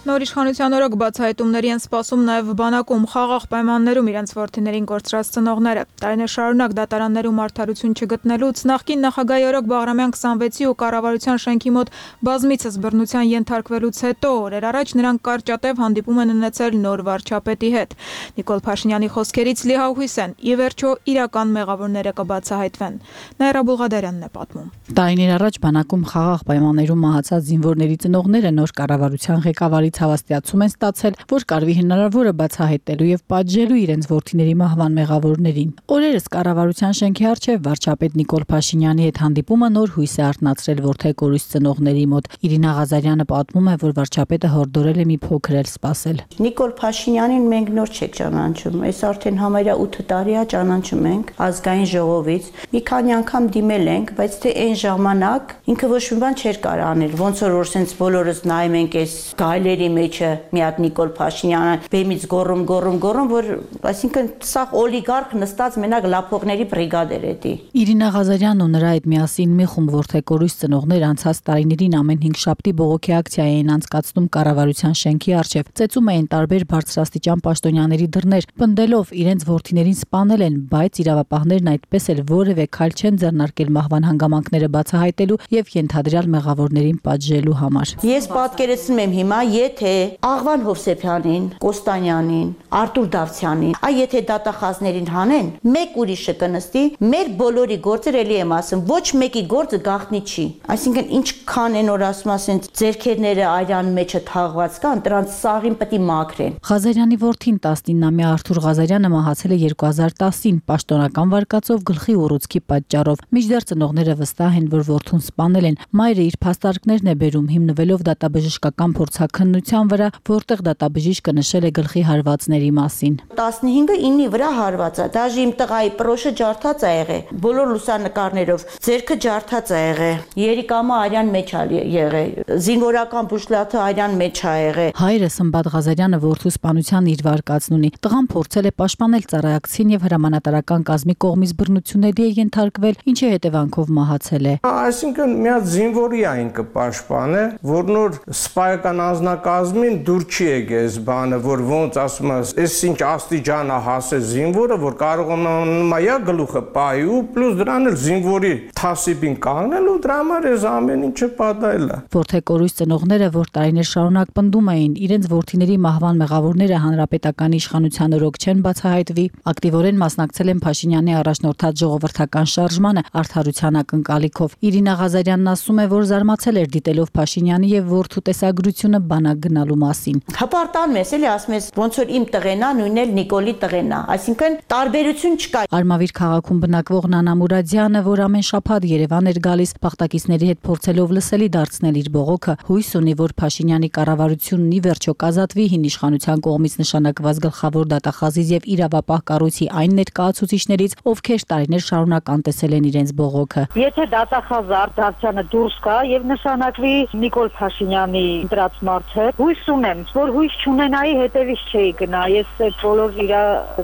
Նոր իշխանության օրոք բացահայտումների են սպասում նաև բանակում խաղաղ պայմաններում իրենց որդիներին կորցրած ծնողները։ Տարիներ շարունակ դատարաններում արդարություն չգտնելուց նախկին նախագահի օրոք Բաղրամյան քսանվեցի ու կառավարության շենքի մոտ բազմիցս բռնության ենթարկվելուց հետո օրեր առաջ նրանք կարճատև հանդիպում են ունեցել նոր վարչապետի հետ։ Նիկոլ Փաշինյանի խոսքերից լիահույս են, ի վերջո իրական մեղավորները կբացահայտվեն։ Նաիրա Բուլղադարյանն է պատմում։ Տարիներ առաջ բանակում խաղաղ պայմաններում մահացած զինվորների ծնողները նոր կառավարության ղեկավարից հավաստիացում են ստացել, որ կարվի հնարավորը բացահայտելու եւ պատժելու իրենց որդիների մահվան մեղավորներին։ Օրերս կառավարության շենքի առջև վարչապետ Նիկոլ Փաշինյանի հետ հանդիպումը նոր հույս է արթնացրել որդեկորույս ծնողների մոտ։ Իրինա Ղազարյանը պատմում է, որ վարչապետը հորդորել է մի փոքր էլ սպասել։ Նիկոլ Փաշինյանին մենք նոր չեք ճանաչում, այս արդեն համարյա ութ տարի է ճանաչում ենք ազգային ժողովից։ Մի քանի անգամ դիմել ենք, բայց թե այն ժամանակ ինքը ոչ մի բան չէր կարող անել, ոնց որ որ sense բոլորս նայում ենք այս գայլերի մեջը մի հատ Նիկոլ Փաշինյանը բեմից գոռում գոռում գոռում, որ այսինքն սա օլիգարխ նստած մենակ լափողների բրիգադեր է դի։ Իրինա Ղազարյանն ու նրա հետ միասին մի խումբ որդեկորույս ծնողներ անցած տարիներին ամեն հինգշաբթի բողոքի ակցիա էին անցկացնում կառավարության շենքի առջև, ծեծում էին տարբեր բարձրաստիճան պաշտոնյաների դռներ, պնդելով իրենց որդիներին սպանել են, բայց իրավապահներն այդպես էլ որևէ քայլ չեն ձեռնարկել մահվան հանգամանքները բացահայտելու եւ ենթադրյալ մեղավորներին պատժելու համար։ Ես պատկերացնում եմ հիմա, եթե Աղվան Հովսեփյանին, Կոստանյանին, Արտուր Դավթյանին, այ եթե դատախազներին հանեն, մեկ ուրիշը կնստի, մեր բոլորի գործը էլի եմ ասում, ոչ մեկի գործը գաղտնի չի։ Այսինքն ինչքան են որ ասում ասեն ձերքերները այրան մեջը թաղված կան, դրանց սաղին պետք է մաքրեն։ Ղազարյանի որդին տասնինամյա Արթուր Ղազարյանը մահացել է երկու հազար տասին պաշտոնական վարկածով գլխի ուռուցքի պատճառով։ Մինչդեռ ծնողները վստահ են, որ որդուն սպանել են։ Մայրը իր փաստարկներն է բերում հիմնվելով դատաբժշկական փորձաքննության վրա, որտեղ դատաբժիշկը նշել է գլխի հարվածների մասին։ տասնհինգը ինի վրա հարված է, դաժե իմ տղայի պրոշը ջարդած է եղել, բոլոր լուսանկարներով, ձերքը ջարդած է եղել, երիկամը արյան մեջ է եղել, զինվորական բուժլաթը արյան մեջ է եղել։ Հայրը Սմբատ Ղազարյանը որդու սպանության իր վարկածն ունի։ Տղան փորձել է պաշտպանել ծառայակցին եւ հրամանատարական կազմի կողմից բռնությունների է ենթարկվել, ինչի հետևանքով մահացել է։ Այսինքն մի հատ զինվորի այն կպաշտպանը, որ նոր սպայական անձնակազմին դուր չի եկես բանը, որ ոնց ասում ես, այս ինչ աստիճանա հասե զինվորը, որ կարողանում է գլուխը պայի ու պլյուս դրան էլ զինվորի թասիբին կանգնել ու դրա համար էս ամեն ինչը պատահել է։ Որդեկորույս ծնողները, որ տարիներ շարունակ պնդում էին, իրենց որդիների մահվան մեղավորները հանրապետական իշխանության օրոք չեն բացահայտվի, ակտիվորեն մասնակցել են Փաշինյանի առաջնորդած ժողովրդական շարժմանը արդարության ակնկալիքով։ Իրինա Ղազարյանն ասում է, որ զարմացել էր դիտելով Փաշինյանի եւ որդու տեսագրությունը բանակ գնալու մասին։ Հպարտան մեզ էլի ասում ես ոնց որ իմ տղեն է, նույնն էլ Նիկոլի տղեն է, այսինքն տարբերություն չկա։ Արմավիր քաղաքում բնակվող Նանա Մուրադյանը, որ ամեն շաբաթ Երևան էր գալիս, փախտակիցների հետ փորձելով լսելի դարձնել իր բողոքը, հույս ունի, որ Փաշինյանի կառավարությունն ի վերջո կազատվի հին իշխանության կողմից նշանակված գլխավոր դատախազից եւ իրավապահ կառույցի այն ներկայացուցիչներից, ովքեր տարիներ շարունակ անտեսել են իրենց բողոքը։ Եթե դատախազը Արտավցյանը դուրս գա եւ նշանակվի Նիկոլ Փաշինյանի դրած մարդը, հույս ունեմ, որ հույս չունենայի, հետևից չէի գնա։ Ես այդ բոլոր իր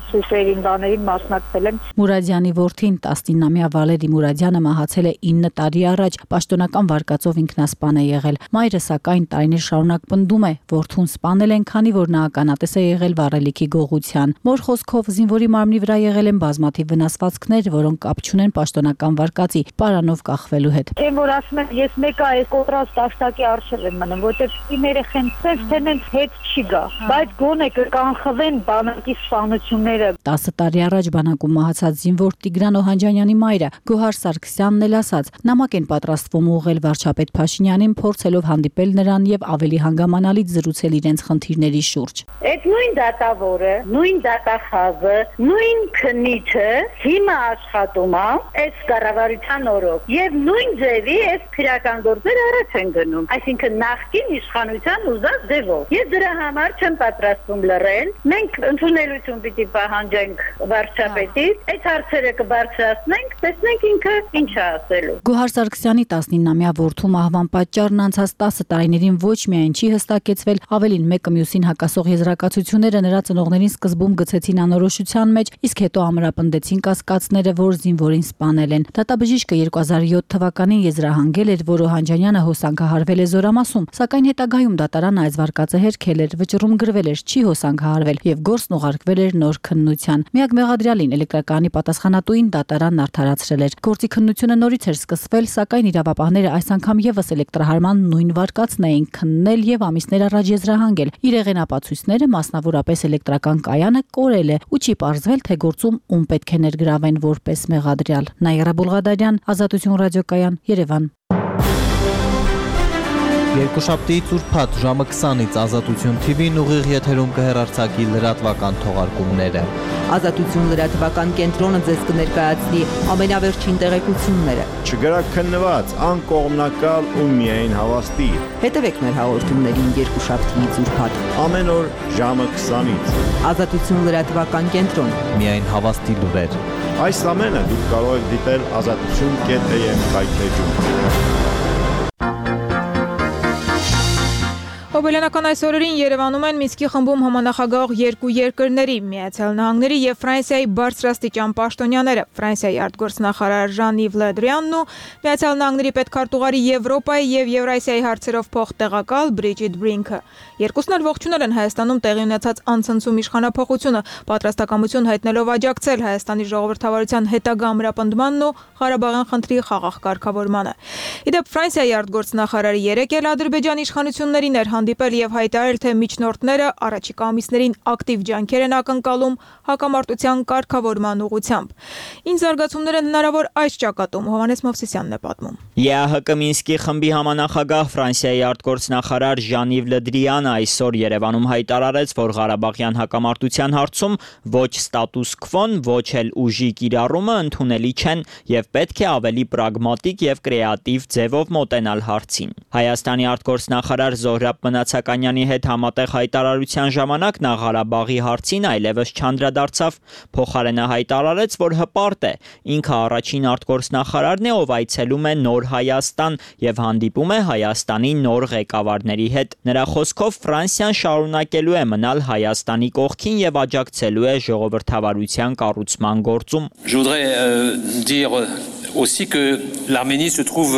սուպերին բաներին մասնակցել եմ։ Մուրադյանի որդին տասնինամյա Վալերի Մուրադյանը մահացել է ինը տարի առաջ, պաշտոնական վարկածով ինքնասպան է եղել։ Մայրը սակայն տարիներ շարունակ պնդում է, որդուն սպանել են, քանի որ նա ականատես է եղել վառելիքի գողության։ Մոր խոսքով զինվորի մարմնի վրա եղել են բազմաթիվ վնասվածքներ, որոնք կապ չունեն պաշտոնական վարկածի, պարանով կախվելու հետ։ Այն որ ասում են, ես մեկը այս կոտրած տաշտակի առջև եմ մնում, որտեղ իմ երեխեն ցեվ տենենց հետ չի գա, բայց գոնե կանխվեն բանակի սպանությունները։ տասը տարի առաջ բանակում մահացած զինվոր Տիգրան Օհանջանյանի մայրը Գոհար Սարգսյանն էլ ասաց, նամակ են պատրաստվում ուղղել վարչապետ Փաշինյանին, փորձելով հանդիպել նրան եւ ավելի հանգամանալից զրուցել իրենց խնդիրների շուրջ։ Այդ նույն դատավորը, նույն դատախազը, նույն քննիչը հիմա աշխատում է այս կառավարության օրոք եւ նույն ձևի այս քրական գործեր առաջ են գնում, այսինքն նախկին իշխանության ուզած ձևով։ Ես դրա համար չեմ պատրաստվում լռել, մենք ընդունելություն պիտի պահանջենք վարչապետից, այդ հարցերը կբարձրացնենք, տեսնենք ինքը ինչ է ասելու։ Գոհար Սարգսյանի տասնինամյա որդու մահվան պատճառն անցած տասը տարիներին ոչ միայն չի հստակեցվել, ավելին մեկը մյուսին հակասող եզրակացությունները նրա ծնողներին սկզբում գցեցին անորոշության մեջ, իսկ հետո ամրապնդեցին կասկածները, որ զինվորին սպանել են։ Դատաբժիշկը երկու հազար յոթ թվականին եզրահանգել էր, որ Օհանջանյանը հոսանքահարվել է Զորամասում, սակայն հետագայում դատարանը այս վարկածը հերքել էր, վճռում գրվել էր չի հոսանքահարվել եւ գործն ուղարկվել էր նոր քննության։ Միակ մեղադրյալին էլեկտրակայանի պատասխանատուին դատարանն արդարացրել էր։ Գործի քննությունը նորից էր սկսվել, սակայն իրավապահները այս անգամ եւս էլեկտրահարման նույն վարկածն էին քննել եւ ամիսներ առաջ եզրահանգել։ Իրեղեն ապացույցները, մասնավորապես էլեկտրական կայանը, կորել է ու չի պարզվել, թե գործում ում պետք է ներգրավեն որպես մեղադրյալ։ Նաիրա Բուլղադարյան, Ազատություն ռադիոկայան, Երևան։ Երկուշաբթիից ուրբաթ ժամը քսանից Ազատություն Թի Վին ուղիղ եթերում կհեռարձակի լրատվական թողարկումները։ Ազատություն լրատվական կենտրոնը ձեզ կներկայացնի ամենավերջին տեղեկությունները։ Չգրակ քննված, անկողմնակալ ու միայն հավաստի։ Հետևեք մեր հաղորդումներին երկուշաբթիից ուրբաթ ամեն օր ժամը քսանից։ Ազատություն լրատվական կենտրոն, միայն հավաստի լուրեր։ Այս ամենը դուք կարող եք դիտել ազատություն կետ էյ էմ կայքեջում։ Հոբելյանական այս օրերին Երևանում են Մինսկի խմբում համանախագահող երկու երկրների՝ Միացյալ Նահանգների եւ Ֆրանսիայի բարձրաստիճան պաշտոնյաները, Ֆրանսիայի արտգործնախարար Ժան-Իվ Լե Դրյանն ու Միացյալ Նահանգների պետքարտուղարի Եվրոպայի եւ Եվրասիայի հարցերով փոխտեղակալ Բրիջիթ Բրինքը։ Երկուսն էլ ողջունել են Հայաստանում տեղի ունեցած անցնցում իշխանափոխությունը, պատրաստակամություն հայտնելով աջակցել Հայաստանի ժողովրդավարության հետագա ամրապնդմանն ու Ղարաբաղյան խնդրի խաղաղ կարգավորմանը։ Իդեպ Ֆրանսիայի արտգործնախարարը երեկ էլ Ադրբեջանի իշխանություններին էր հանդիպել եւ հայտարարել, թե միջնորդները առաջիկա ամիսներին ակտիվ ջանքեր են ակնկալում հակամարտության կարգավորման ուղղությամբ։ Ինչ զարգացումներ են հնարավոր այս ճակատում, Հովհաննես Մովսիսյանն է պատմում։ ԵԱՀԿ Մինսկի խմբի համանախագահ Ֆրանսիայի արտգործնախարար Ժան-Իվ Լը Դրիանը այսօր Երևանում հայտարարեց, որ Ղարաբաղյան հակամարտության հարցում ոչ ստատուս քվոն, ոչ էլ ուժի կիրառումը ընդունելի չեն եւ պետք է ավելի պրագմատիկ եւ կրեատիվ ձևով մոտենալ հարցին։ Հայաստանի արտգործնախարար Զոհրաբ Մնացականյանի հետ համատեղ հայտարարության ժամանակ նա Ղարաբաղի հարցին այլևս չանդրադարձավ, փոխարենը հայտարարեց, որ հպարտ է, ինքը առաջին արտգործնախարարն է, ով այցելում է նոր Հայաստան եւ հանդիպում է Հայաստանի նոր ղեկավարների հետ։ Նրա խոսքով Ֆրանսիան շարունակելու է մնալ Հայաստանի կողքին եւ աջակցելու է ժողովրդավարության կառուցման գործում։ Je voudrais euh, dire aussi que l'Arménie se trouve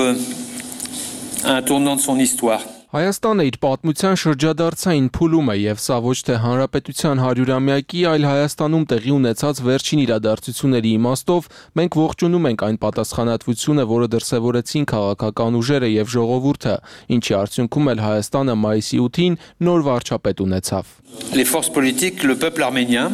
à un tournant de son histoire. Հայաստանը իր պատմության շրջադարձային փուլում է եւ սա ոչ թե հանրապետության հարյուրամյակի, այլ Հայաստանում տեղի ունեցած վերջին իրադարձությունների իմաստով մենք ողջունում ենք այն պատասխանատվությունը, որը դրսևորեցին քաղաքական ուժերը եւ ժողովուրդը, ինչի արդյունքում էլ Հայաստանը մայիսի ութին նոր վարչապետ ունեցավ։ Les forces politiques, le peuple arménien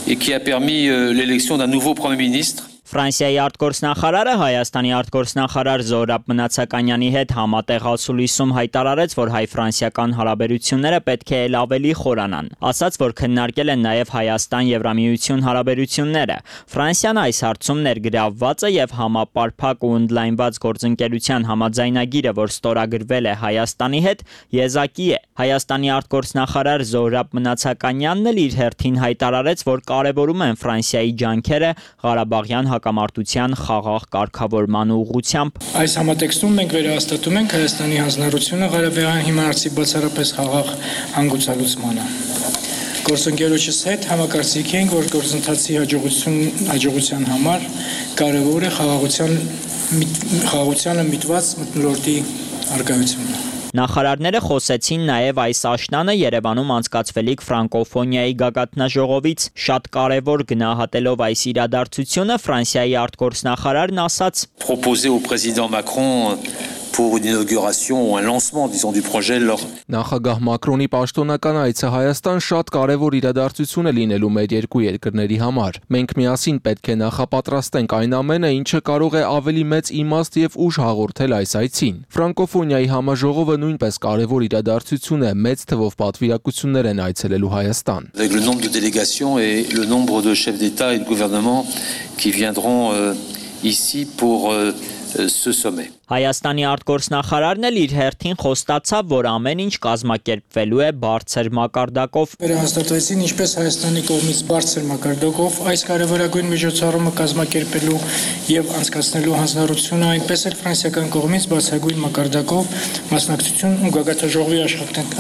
et qui a permis euh, l'élection d'un nouveau premier ministre. Ֆրանսիայի արտգործնախարարը Հայաստանի արտգործնախարար Զոհրաբ Մնացականյանի հետ համատեղ ասուլիսում հայտարարեց, որ հայ-ֆրանսիական հարաբերությունները պետք է ել ավելի խորանան։ Ասաց, որ քննարկել են նաև Հայաստան-Եվրամիություն հարաբերությունները։ Ֆրանսիան այս հարցում ներգրավված է եւ համապարփակ ու ընդլայնված գործընկերության համաձայնագիրը, որ ստորագրվել է Հայաստանի հետ, եզակի է։ Հայաստանի արտգործնախարար Զոհրաբ Մնացականյանն էլ իր հերթին հայտարարեց, որ կարևորում են Ֆրանսիայի ջանքերը Ղարաբաղյան հակամարտության խաղաղ կարգավորման ուղղությամբ։ Այս համատեքստում մենք վերահաստատում ենք Հայաստանի հանձնառությունը Ղարաբաղյան հիմնարարցի բացառապես խաղաղ հանգուցալուծմանը։ Գործընկերոջս հետ համակարծիք ենք, որ գործընթացի հաջողություն հաջողության համար կարևոր է խաղաղության խաղաղությանը միտված մթնոլորտի արկայությունը։ Նախարարները խոսեցին նաև այս աշնանը Երևանում անցկացվելիք ֆրանկոֆոնիայի գագաթնաժողովից։ Շատ կարևոր գնահատելով այս իրադարձությունը Ֆրանսիայի արտգործնախարարն ասաց. Proposer au président Macron pour une inauguration ou un lancement, disons, du projet lors. Նախագահ Մակրոնի պաշտոնական այցը Հայաստան շատ կարևոր իրադարձություն է լինելու մեր երկու երկրների համար։ Մենք միասին պետք է նախապատրաստենք այն ամենը, ինչը կարող է ավելի մեծ իմաստ եւ ուժ հաղորդել այս այցին։ Ֆրանկոֆոնիայի համաժողովը նույնպես կարևոր իրադարձություն է, մեծ թվով պատվիրակություններ են այցելելու Հայաստան։ Avec le nombre de délégations et le nombre de chefs d'État et de gouvernement qui viendront euh, ici pour euh, ce sommet. Հայաստանի արտգործնախարարն էլ իր հերթին խոստացավ, որ ամեն ինչ կազմակերպվելու է բարձր մակարդակով։ Վերահաստատվեցին ինչպես Հայաստանի կողմից բարձր մակարդակով այս կարևորագույն միջոցառումը կազմակերպելու եւ անցկացնելու հանձնառությունը, այնպես էլ ֆրանսիական կողմից բարձրագույն մակարդակով մասնակցություն ու գագաթնաժողովի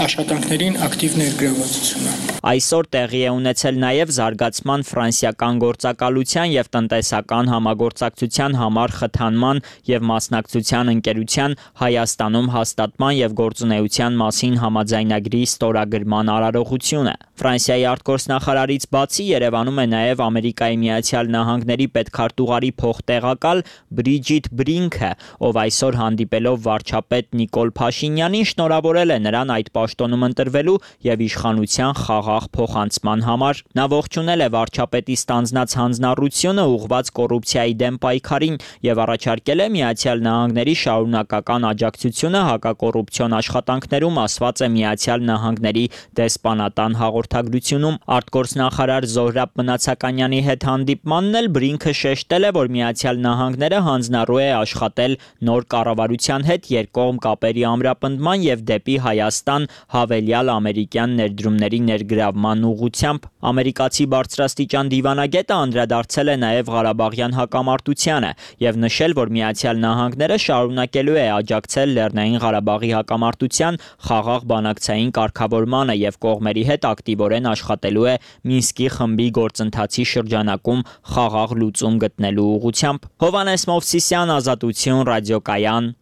աշխատանքներին ակտիվ ներգրավվածությունը։ Այսօր տեղի է ունեցել նաև զարգացման ֆրանսիական գործակալության եւ տնտեսական համագործակցության համար խթանման եւ մասնակցության ընկերության Հայաստանում հաստատման եւ գործունեության մասին համաձայնագրի ստորագրման արարողությունը։ Ֆրանսիայի արտգործնախարարից բացի Երևանում է նաև Ամերիկայի Միացյալ Նահանգների պետքարտուղարի փոխտեղակալ Բրիջիթ Բրինքը, ով այսօր հանդիպելով վարչապետ Նիկոլ Փաշինյանին շնորհավորել է նրան այդ պաշտոնում ընտրվելու եւ իշխանության խաղաղ փոխանցման համար։ Նա ողջունել է վարչապետի ստանձնած հանձնառությունը ուղղված կոռուպցիայի դեմ պայքարին եւ առաջարկել է Միացյալ Նահանգների շարունակական աջակցությունը հակակոռուպցիոն աշխատանքներում, ասված է Միացյալ Նահանգների դեսպանատան հաղորդագրությունում։ Արտգործնախարար Զոհրաբ Մնացականյանի հետ հանդիպմանն էլ Բրինքը շեշտել է, որ Միացյալ Նահանգները հանձնառու է աշխատել նոր կառավարության հետ երկկողմ կապերի ամրապնդման եւ դեպի Հայաստան հավելյալ ամերիկյան ներդրումների ներգրավման ուղղությամբ։ Ամերիկացի բարձրաստիճան դիվանագետը անդրադարձել է նաև Ղարաբաղյան հակամարտությանը եւ նշել, որ Միացյալ Նահանգները շարունակելու է աջակցել Լեռնային Ղարաբաղի հակամարտության խաղաղ բանակցային կարգավորմանը եւ կողմերի հետ ակտիվորեն աշխատելու է Մինսկի խմբի գործընթացի շրջանակում խաղաղ լուծում գտնելու ուղղությամբ։ Հովհաննես Մովսիսյան, Ազատություն, Ռադիոկայան,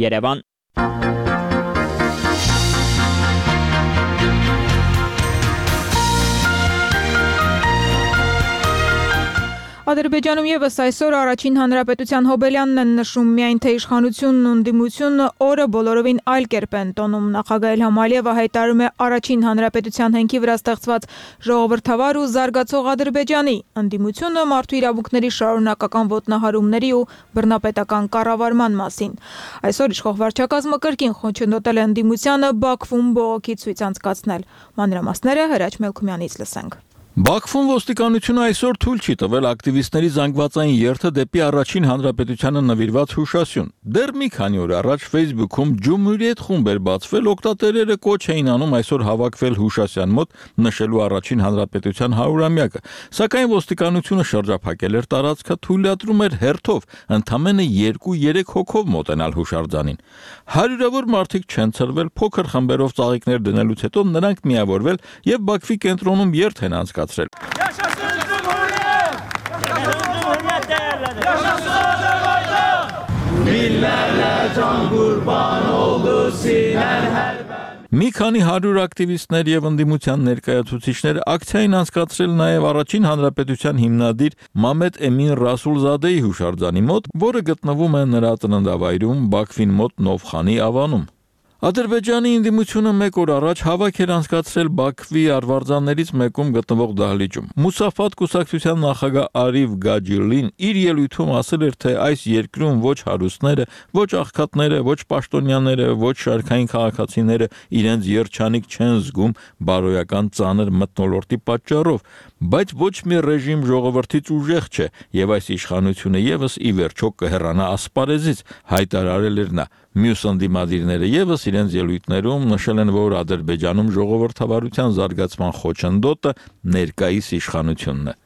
Երևան։ Ադրբեջանում եւս այսօր առաջին հանրապետության Հոբելյանն են նշում, միայն թե իշխանությունն ու ընդդիմությունը օրը բոլորովին այլ կերպ են տոնում։ Նախագահ Իլհամ Ալիևը հայտարարում է առաջին հանրապետության հենքի վրա ստեղծված ժողովրդավար ու զարգացող Ադրբեջանի, ընդդիմությունը մարդու իրավունքների շարունակական ոտնահարումների ու բռնապետական կառավարման մասին։ Այսօր իշխող վարչակազմը կրկին խոչընդոտել է ընդդիմությանը Բաքվում բողոքի ցույց անցկացնել։ Մանրամասները Հրաչ Մելքումյանից լսենք։ Բաքվում ոստիկանությունը այսօր թույլ չի տվել ակտիվիստների զանգվածային երթը դեպի առաջին հանրապետությանը նվիրված հուշասյուն։ Դեռ մի քանի օր առաջ Facebook-ում Ջումհուրիետ խումբ էր բացվել, օգտատերերը կոչ էին անում այսօր հավաքվել հուշասյան մոտ նշելու առաջին հանրապետության հարյուրամյակը, սակայն ոստիկանությունը շրջափակել էր տարածքը, թույլատրում էր հերթով ընդամենը երկու-երեք հոգով մոտենալ հուշարձանին։ Հարյուրավոր մարդիկ չեն ցրվել, փոքր խմբերով ծաղիկներ դնելուց հետո նրանք միավորվել եւ Բաքվի կենտրոնում երթ են անցկացրել։ Մի քանի հարյուր ակտիվիստներ եւ ընդդիմության ներկայացուցիչներ ակցիային անցկացրել նաեւ առաջին հանրապետության հիմնադիր Մամեդ Էմին Ռասուլզադեի հուշարձանի մոտ, որը գտնվում է նրա ծննդավայրում Բաքվին մոտ Նովխանի ավանում։ Ադրբեջանի ընդդիմությունը մեկ օր առաջ հավաք էր անցկացրել Բաքվի արվարձաններից մեկում գտնվող դահլիճում։ Մուսաֆատ կուսակցության նախագահ Արիվ Գաջիլին իր ելույթում ասել էր, թե այս երկրում ոչ հարուստները, ոչ աղքատները, ոչ պաշտոնյաները, ոչ շարքային քաղաքացիները իրենց երջանիկ չեն զգում բարոյական ծանր մթնոլորտի պատճառով, բայց ոչ մի ռեժիմ ժողովրդից ուժեղ չէ, եւ այս իշխանությունը եւս ի վերջո կհեռանա ասպարեզից, հայտարարել էր նա։ Մյուս ընդդիմադիրները եւս իրենց ելույթներում նշել են, որ Ադրբեջանում ժողովրդավարության զարգացման խոչընդոտը ներկայիս իշխանությունն է։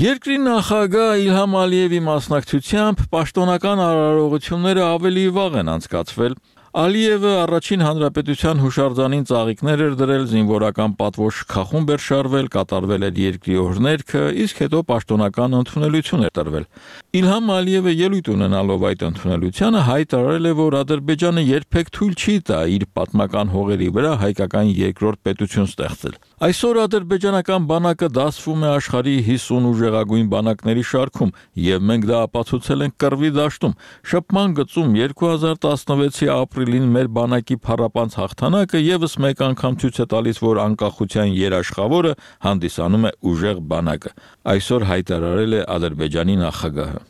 Երկրի նախագահ Իլհամ Ալիևի մասնակցությամբ պաշտոնական արարողությունները ավելի վաղ են անցկացվել։ Ալիևը առաջին հանրապետության հուշարձանին ծաղիկներ էր դրել, զինվորական պատվո շքախումբ էր շարվել, կատարվել էր երկրի օրհներգը, իսկ հետո պաշտոնական ընդունելություն էր տրվել։ Իլհամ Ալիևը ելույթ ունենալով այդ ընդունելությանը հայտարարել է, որ Ադրբեջանը երբեք թույլ չի տա իր պատմական հողերի վրա հայկական երկրորդ պետություն ստեղծել։ Այսօր ադրբեջանական բանակը դասվում է աշխարհի հիսուն ուժեղագույն բանակների շարքում, եւ մենք դա ապացուցել ենք կռվի դաշտում։ Շփման գծում երկու հազար տասնվեցի ապրիլին մեր բանակի փառապանց հաղթանակը եւս մեկ անգամ ցույց է տալիս, որ անկախության երաշխավորը հանդիսանում է ուժեղ բանակը։ Այսօր հայտարարել է Ադրբեջանի նախագահը։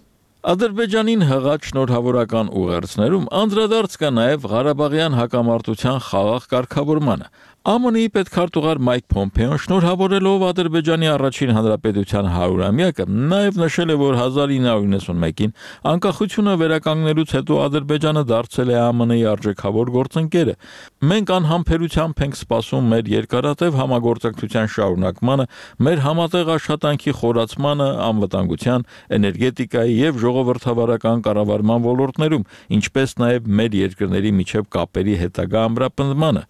Ադրբեջանին հղած շնորհավորական ուղերձներում անդրադարձ կա նաև Ղարաբաղյան հակամարտության խաղաղ կարգավորմանը։ ԱՄՆ-ի պետքարտուղար Մայք Փոմփեոն շնորհավորելով Ադրբեջանի առաջին հանրապետության հարյուրամյակը նաև նշել է, որ հազար ինը հարյուր նվաթ մեկին անկախությունը վերականգնելուց հետո Ադրբեջանը դարձել է ԱՄՆ-ի արժեքավոր գործընկերը։ Մենք անհամբերությամբ ենք սպասում մեր երկարատև համագործակցության շարունակմանը, մեր համատեղ աշխատանքի խորացմանը անվտանգության, էներգետիկայի եւ ժողովրդավարական կառավարման ոլորտներում, ինչպես նաև մեր երկրների միջև կապերի հետագա ամրապնդմանը։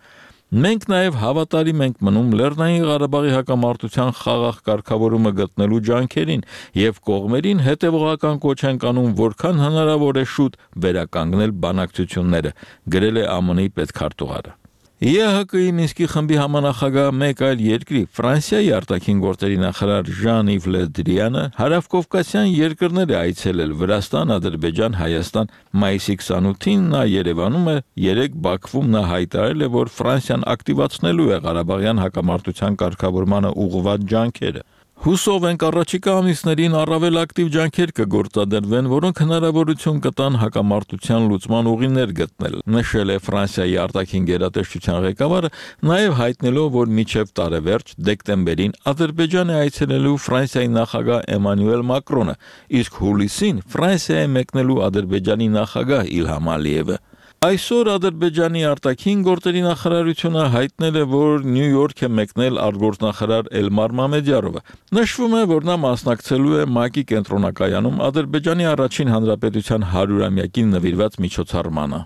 Մենք նաև հավատարիմ ենք մնում Լեռնային Ղարաբաղի հակամարտության խաղաղ կարգավորումը գտնելու ջանքերին եւ կողմերին հետեւողական կոչ ենք անում, որքան հնարավոր է շուտ վերականգնել բանակցությունները, գրել է ԱՄՆ-ի պետքարտուղարը։ Է Հ Կ-ի Մինսկի խմբի համանախագահ մեկ այլ երկրի Ֆրանսիայի արտաքին գործերի նախարար Ժան-Իվ Լե Դրիանը հարավկովկասյան երկրներ է այցելել Վրաստան, Ադրբեջան, Հայաստան։ Մայիսի քսանութին նա Երևանում է, երեկ Բաքվում նա հայտարարել է, որ Ֆրանսիան ակտիվացնելու է Ղարաբաղյան հակամարտության կարգավորմանը ուղղված ջանքերը։ Հուսով ենք առաջիկա ամիսներին առավել ակտիվ ջանքեր կգործադրվեն, որոնք հնարավորություն կտան հակամարտության լուծման ուղիներ գտնել, նշել է Ֆրանսիայի արտաքին գերատեսչության ղեկավարը, նաև հայտնելով, որ մինչև տարեվերջ դեկտեմբերին Ադրբեջան է այցելելու Ֆրանսիայի նախագահ Էմանուել Մակրոնը, իսկ հուլիսին Ֆրանսիա է մեկնելու Ադրբեջանի նախագահ Իլհամ Ալիևը։ Այսօր Ադրբեջանի արտաքին գործերի նախարարությունը հայտնել է, որ Նյու Յորք է մեկնել արտգործնախարար Էլմար Մամեդյարովը։ Նշվում է, որ նա մասնակցելու է ՄԱԿ-ի կենտրոնակայանում Ադրբեջանի առաջին հանրապետության հարյուրամյակին նվիրված միջոցառմանը։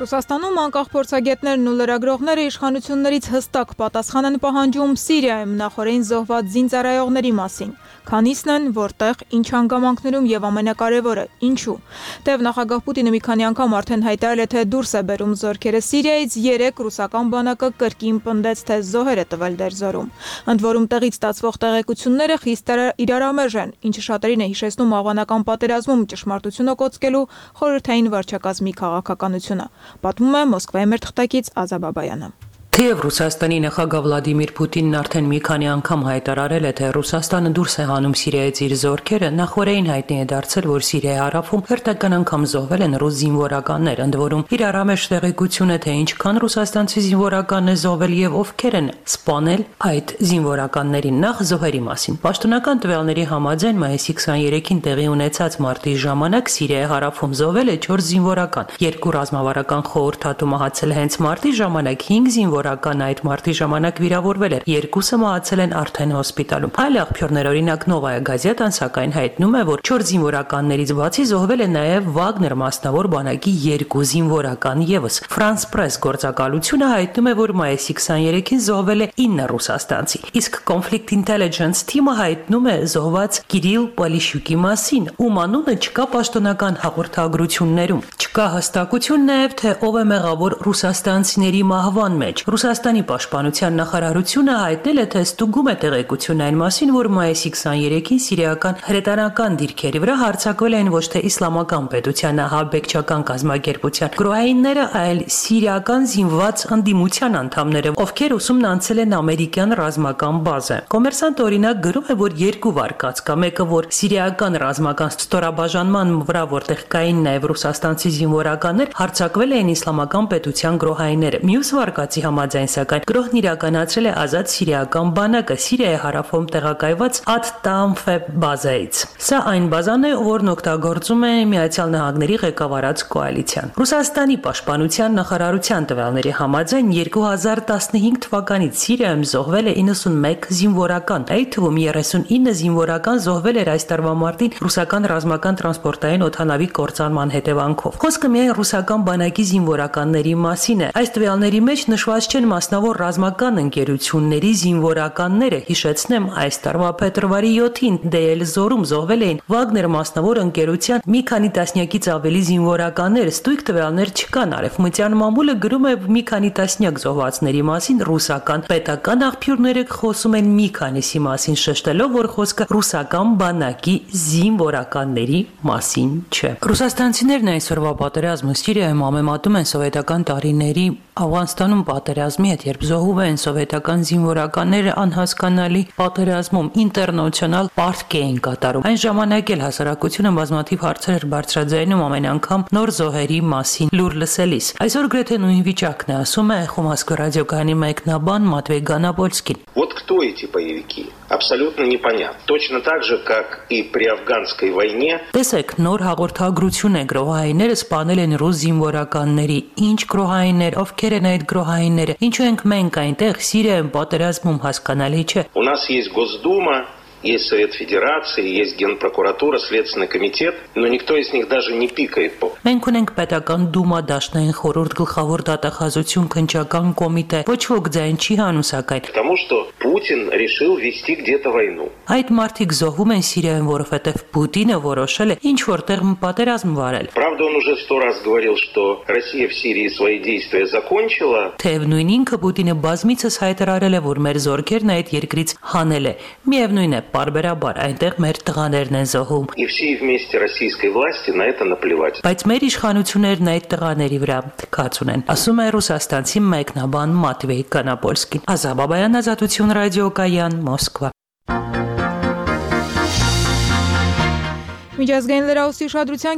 Ռուսաստանում անկախ փորձագետներն ու լրագրողները իշխանություններից հստակ պատասխան են պահանջում Սիրիայում նախորդին զոհված զինծառայողների մասին։ քանիսն են, որտեղ, ինչ հանգամանքներում եւ ամենակարևորը, ինչու։ Թեև նախագահ Պուտինը մի քանի անգամ արդեն հայտարարել է, թե դուրս է բերում զորքերը Սիրիայից, երեք ռուսական բանակը կրկին պնդեց, թե զոհեր է տվել դերձորում։ Ընդ որում տեղից ստացվող տեղեկությունները խիստ իրարամերժ են, ինչը շատերին է հիշեցնում Աֆղանական պատերազմում ճշմարտությունը կոծկելու խորհրդային վարչակազմի քաղաքականությունը։ Պատմում է Մոսկվայի մեր թղթակից Ազա Բաբայանը։ Թեև Ռուսաստանի նախագահ Վլադիմիր Պուտինն արդեն մի քանի անգամ հայտարարել է, թե Ռուսաստանը դուրս է հանում Սիրիայից իր զորքերը, նախորդին հայտնի է դարձել, որ Սիրիայի հարավում հերթական անգամ զոհվել են ռուս զինվորականներ, ընդ որում իրարամերժ տեղեկություն է, թե ինչքան ռուսաստանցի զինվորական է զոհվել եւ ովքեր են սպանել այդ զինվորականներին։ Նախ զոհերի մասին։ Պաշտոնական տվյալների համաձայն մայիսի քսաներեքին տեղի ունեցած մարտի ժամանակ Սիրիայի հարավում զոհվել է չորս զինվորական։ Երկու ռազմավարական խորհրդատու մահացել հենց մարտի ժամանակ, հինգ զինվոր այդ մարտի ժամանակ վիրավորվել էր, երկուսը մահացել են արդեն հոսպիտալում։ Այլ աղբյուրներ, օրինակ Նովայա Գազետան, սակայն հայտնում է, որ չորս զինվորականներից բացի զոհվել է նաև Վագներ մասնավոր բանակի երկու զինվորական ևս։ France Press գործակալությունը հայտնում է, որ մայիսի քսաներեքին զոհվել է ինը ռուսաստանցի, իսկ Conflict Intelligence թիմը հայտնում է զոհված Կիրիլ Պոլիշյուկի մասին, ում անունը չկա պաշտոնական հաղորդագրություններում։ Չկա հստակություն նաև, թե ով է մեղավոր ռուսաստանցիների մահվան մեջ։ Ռուսաստանի պաշտպանության նախարարությունը հայտնել է, թե ստուգում է տեղեկություն այն մասին, որ մայիսի քսաներեքին սիրիական հրետանական դիրքերի վրա հարձակվել են ոչ թե իսլամական պետության ահաբեկչական կազմակերպության գրոհայինները, այլ սիրիական զինված ընդդիմության անդամները, ովքեր ուսումնանցել են ամերիկյան ռազմական բազը։ Կոմերսանտ օրինակ գրում է, որ երկու վարկած կա, մեկը որ սիրիական ռազմական ստորաբաժանման վրա, որտեղ կային նաև ռուսաստանցի զինվորականներ, հարձակվել էին իսլամական պետության գրոհայինները։ Մյուս վարկածի համաձայն սակայն գրոհն իրականացրել է ազատ սիրիական բանակը Սիրիայի հարավում տեղակայված Ատ-Տանֆե բազայից։ Սա այն բազան է, որն օգտագործում է Միացյալ Նահանգների ղեկավարած կոալիցիան։ Ռուսաստանի պաշտպանության նախարարության տվյալների համաձայն երկու հազար տասնհինգ թվականից Սիրիայում զոհվել է իննսունմեկ զինվորական, այդ թվում երեսունինը զինվորական զոհվել էր այս տարվա մարտին ռուսական ռազմական տրանսպորտային օդանավի կործանման հետևանքով։ Խոսքը միայն ռուսական բանակի զինվորականների մասին է։ Այս տվյալների մեջ նշված չեն մասնավոր ռազմական ընկերությունների զինվորականները, հիշեցնեմ, այս տարվա փետրվարի յոթին Դեյել-Զորում զոհվել էին Վագներ մասնավոր ընկերության մի քանի տասնյակից ավելի զինվորականներ, ստույգ տվյալներ չկան։ Արևմտյան մամուլը գրում է մի քանի տասնյակ զոհվածների մասին, ռուսական պետական աղբյուրները խոսում են մի քանիսի մասին, շեշտելով, որ խոսքը ռուսական բանակի զինվորականների մասին չէ։ Ռուսաստանցիներն այսօրվա պատերազմը Սիրիայում համեմատում են սովետական տարիների Աֆղանստանում պատերազմի հետ, երբ զոհում են սովետական զինվորականները անհասկանալի պատերազմում ինտերնացիոնալ պարտք էին կատարում։ Այն ժամանակ էլ հասարակությունը բազմաթիվ հարցեր էր բարձրաձայնում ամեն անգամ нոր զոհերի մասին լուր լսելիս։ Այսօր գրեթե նույն վիճակն է, ասում է Խոմասկո ռադիոկայանի մեկնաբան Մատվեյ Գանապոլսկին։ Вот кто эти боевики? Абсолютно непонятно. Точно так же, как и при афганской войне. Տեսեք, նոր հաղորդագրություն է գրոհայինները սպանել են ռուս զինվորականների։ Ինչ գրոհայիններ, ովքեր են այդ գրոհայինները։ Ինչու ենք մենք այնտեղ Սիրիայում պատերազմում հասկանալի չէ։ У нас есть Госдума, есть Совет Федерации, есть Генпрокуратура, Следственный комитет, но никто из них даже не пикает по. Մենք ունենք պետական դումա, դաշնային խորհուրդ, գլխավոր դատախազություն, քննչական կոմիտե, ոչ ոք ձայն չի հանում սակայն։ Потому что Путин решил вести где-то войну. Այդ մարդիկ զոհվում են Սիրիայում, որովհետև Պուտինը որոշել է ինչ որտեղ պատերազմ վարել։ Правда, он уже сто раз говорил, что Россия в Сирии свои действия закончила. Թեև նույն ինքը Պուտինը բազմիցս հայտարարել է, որ մեր զորքերն այդ երկրից հանել է։ Միևնույն է, բարբերաբար այնտեղ մեր տղաներն են զոհում։ И всей вместе российской власти на это наплевать. Բայց մեր իշխանություններն այդ տղաների վրա թքած ունեն, ասում է ռուսաստանցի մեկնաբան Մատվեյ Կանապոլսկին։ Ազա Բաբայան, Ազատություն ռադիոկայան, Մոսկվա։ Միջազգային լրահոսի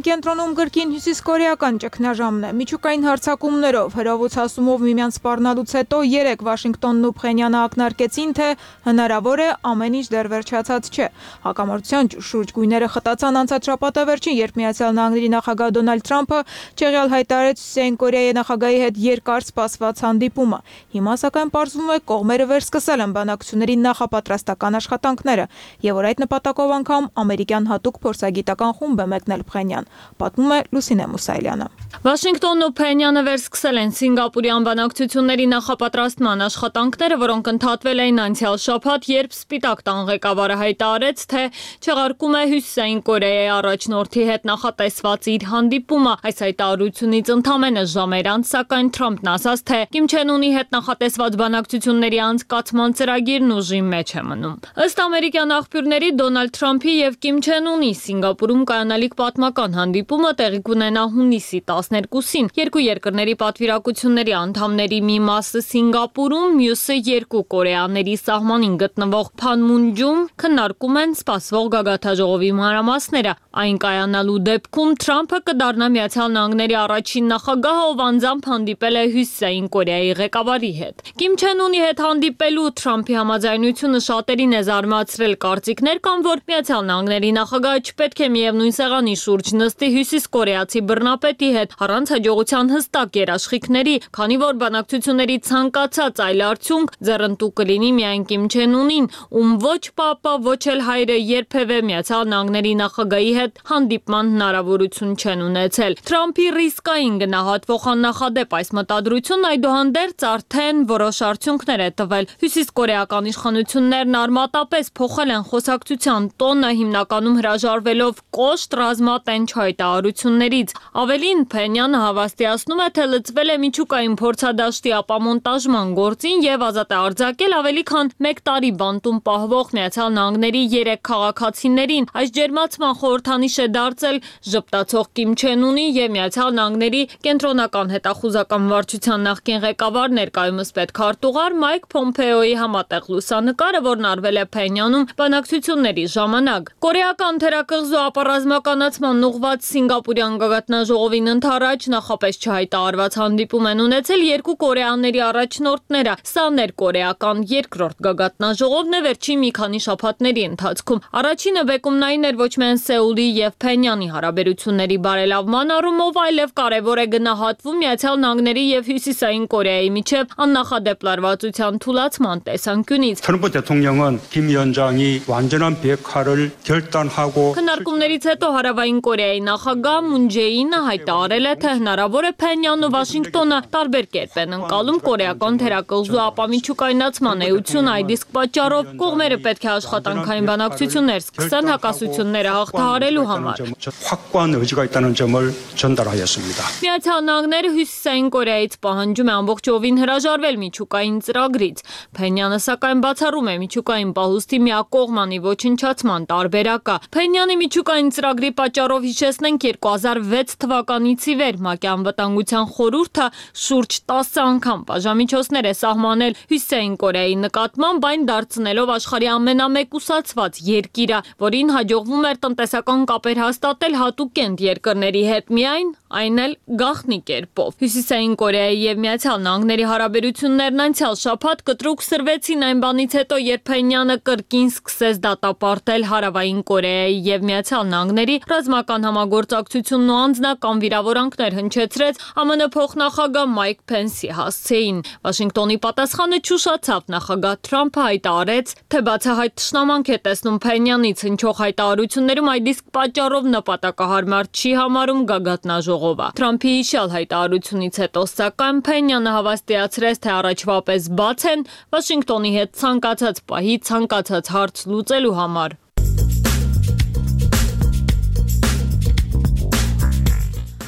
կենտրոնում գրքին հյուսիսկորեական ճգնաժամն է։ Միջուկային հարձակումներով, հրովոցացումով միմյանց սպառնալուց հետո երեք Վաշինգտոնն ու Փխենյանը ակնարկեցին, թե հնարավոր է ամեն ինչ դեռ վերջացած չէ։ Հակամարտության շուրջ գույները խտացան անցած շաբաթը վերջին, երբ Միացյալ Նահանգների նախագահ Դոնալդ Թրամփը չեղյալ հայտարարեց Հյուսիսային Կորեայի նախագահի հետ երկար սպասված հանդիպումը։ Հիմա սակայն պարզվում է կողմերը վերսկսել են բանակցությունների նախապատրաստական աշխատանքները, եւ որ այդ նպատակով անգամ ամերիկյան հատուկ փորձագիտական խումբ է մեկնել Փխենյան, պատմում է Լուսինե Մուսայելյանը։ Վաշինգտոնն ու Փենյանը վերսկսել են Սինգապուրյան բանակցությունների նախապատրաստման աշխատանքները, որոնք ընդհատվել էին անցյալ շաբաթ, երբ Սպիտակ տան ղեկավարը հայտարարեց, թե չեղարկում է Հյուսիսային Կորեայի առաջնորդի հետ նախատեսված իր հանդիպումը։ Այս հայտարարությունից ընդամենը ժամեր անց, սակայն Թրամփն ասաց, թե Կիմ Չեն Ունի հետ նախատեսված բանակցությունների անցկացման ծրագիրն ուժի մեջ է մնում։ Ըստ ամերիկյան աղբյուրների, Դոնալդ Թրամփի եւ Կիմ Չեն Ունի Սինգապուրում կայանալիք պատմական հանդիպումը տեղի կունենա հունիսի տասներկուսին։ Երկու երկրների պատվիրակությունների անդամների մի մասը Սինգապուրում, մյուսը երկու Կորեաների սահմանին գտնվող Փանմունջում քննարկում են սպասվող գագաթաժողովի մանրամասները։ Այն կայանալու դեպքում Թրամփը կդառնա Միացյալ Նահանգների առաջին նախագահը, ով անձամբ հանդիպել է Հյուսիսային Կորեայի ղեկավարի հետ։ Կիմ Չեն Ունի հետ հանդիպելու Թրամփի համաձայնությունը շատերին է զարմացրել։ Կարծիքներ կան, որ Միացյալ Նահանգների նախագահը չպետք է միևնույն սեղանի շուրջ նստի հյուսիս կորեացի բռնապետի հետ առանց հաջողության հստակ երաշխիքների, քանի որ բանակցությունների ցանկացած այլ արդյունք ձեռնտու կլինի միայն Կիմ Չեն Ունին, ում ոչ պապը, ոչ էլ հայրը երբևէ Միացյալ Նահանգների նախագահի հետ հանդիպման հնարավորություն չեն ունեցել։ Թրամփի ռիսկային գնահատվող աննախադեպ այս մտադրությունն այդուհանդերձ արդեն որոշ արդյունքներ է տվել։ Հյուսիսկորեական իշխանություններն արմատապես փոխել են խոսակցության տոնը, հիմնականում հրաժարվելով կոշտ ռազմատենչ հայտարարություններից։ Ավելին, Փենյանը հավաստիացնում է, թե լծվել է միջուկային փորձադաշտի ապամոնտաժման գործին եւ ազատ է արձակել ավելի քան մեկ տարի բանտում պահվող Միացյալ Նահանգների երեք քաղաքացիներին։ Այս ջերմացման խորհրդանիշ է դարձել ժպտացող Կիմ Չեն Ունի եւ Միացյալ Նահանգների կենտրոնական հետախուզական վարչության նախկին ղեկավար ներկայումս պետքարտուղար Մայք Փոմփեոյի համատեղ լուսանկարը, որն արվել է Փենյանում բանակցությունների ժամանակ։ Կորեական թերակղզու ապառազմականացման ուղղված Սինգապուրյան գագաթնաժողովին ընդառաջ նախապես չհայտարարված հանդիպում են ունեցել երկու կորեաների առաջնորդները։ Սա ներկորեական երկրորդ գագաթնաժողովն է վերջին մի քանի շաբաթների ընթացքում։ Առաջինը բեկումն այն էր ոչ միայն Սեուլի եւ Փենյանի հարաբերությունների բարելավման առումով, այլև կարևոր է գնահատվում Միացյալ Նահանգների եւ Հյուսիսային Կորեայի միջև աննախադեպ լարվածության թուլացման տեսանկյունից։ 트럼프 대통령은 김 위원장이 완전한 비핵화를 결단하고 Քննարկումներից հետո Հարավային Կորեայի նախագահ Մուն Ջեինը հայտարարել է, թե հնարավոր է Փենյանն ու Վաշինգտոնը տարբեր կերպ են ընկալում կորեական թերակղզու ապամիջուկայնացման էությունը։ Այդ իսկ պատճառով կողմերը պետք է աշխատանքային բանակցություններ սկսեն հակասությունները հաղթահարելու համար։ 확고한 의지가 있다는 점을 전달하였습니다. Միացյալ Նահանգները Հյուսիսային Կորեայից պահանջում է ամբողջովին հրաժարվել միջուկային ծրագրից։ Փենյանը սակայն բացառում է միջուկային պահուստի միակողմանի ոչնչացման տարբերակը։ Փենյանի միջուկային ծրագրի պատճառով հիշեցնենք երկու հազար վեց թվականից ի վեր ՄԱԿ-ի անվտանգության խորհուրդը շուրջ տասը անգամ բաժամիջոցներ է սահմանել Հյուսիսային Կորեայի նկատմամբ, այն դարձնելով աշխարհի ամենամեկուսացված երկիրը, որին հաջողվում էր տնտեսական կապեր հաստատել հատուկենտ երկրների հետ միայն, այն էլ գաղտնի կերպով։ Հյուսիսային Կորեայի եւ Միացյալ Նահանգների հարաբերություններն անցյալ շաբաթ կտրուկ սրվեցին այն բանից հետո, երբ Փենյանը կրկին սկսեց դատապարտել Հարավային Կորեայի եւ Միացյալ Նահանգների ռազմական համագործակցությունն ու անձնական վիրավորանքներ հնչեցրեց ԱՄՆ փոխնախագահ Մայք Փենսի հասցեին։ Վաշինգտոնի պատասխանը չուշացավ։ Նախագահ Թրամփը հայտարարեց, թե բացահայտ թշնամանք է տեսնում Փենյանից հնչող հայտարարություններում, այդ իսկ պատճառով նպատակահարմար չի համարում գագաթնաժողովը։ Թրամփի հիշյալ հայտարարությունից հետո սակայն Փենյանը հավաստիացրեց, թե առաջվա պես բաց են Վաշինգտոնի հետ ցանկացած պահի ցանկացած հարց լուծելու համար։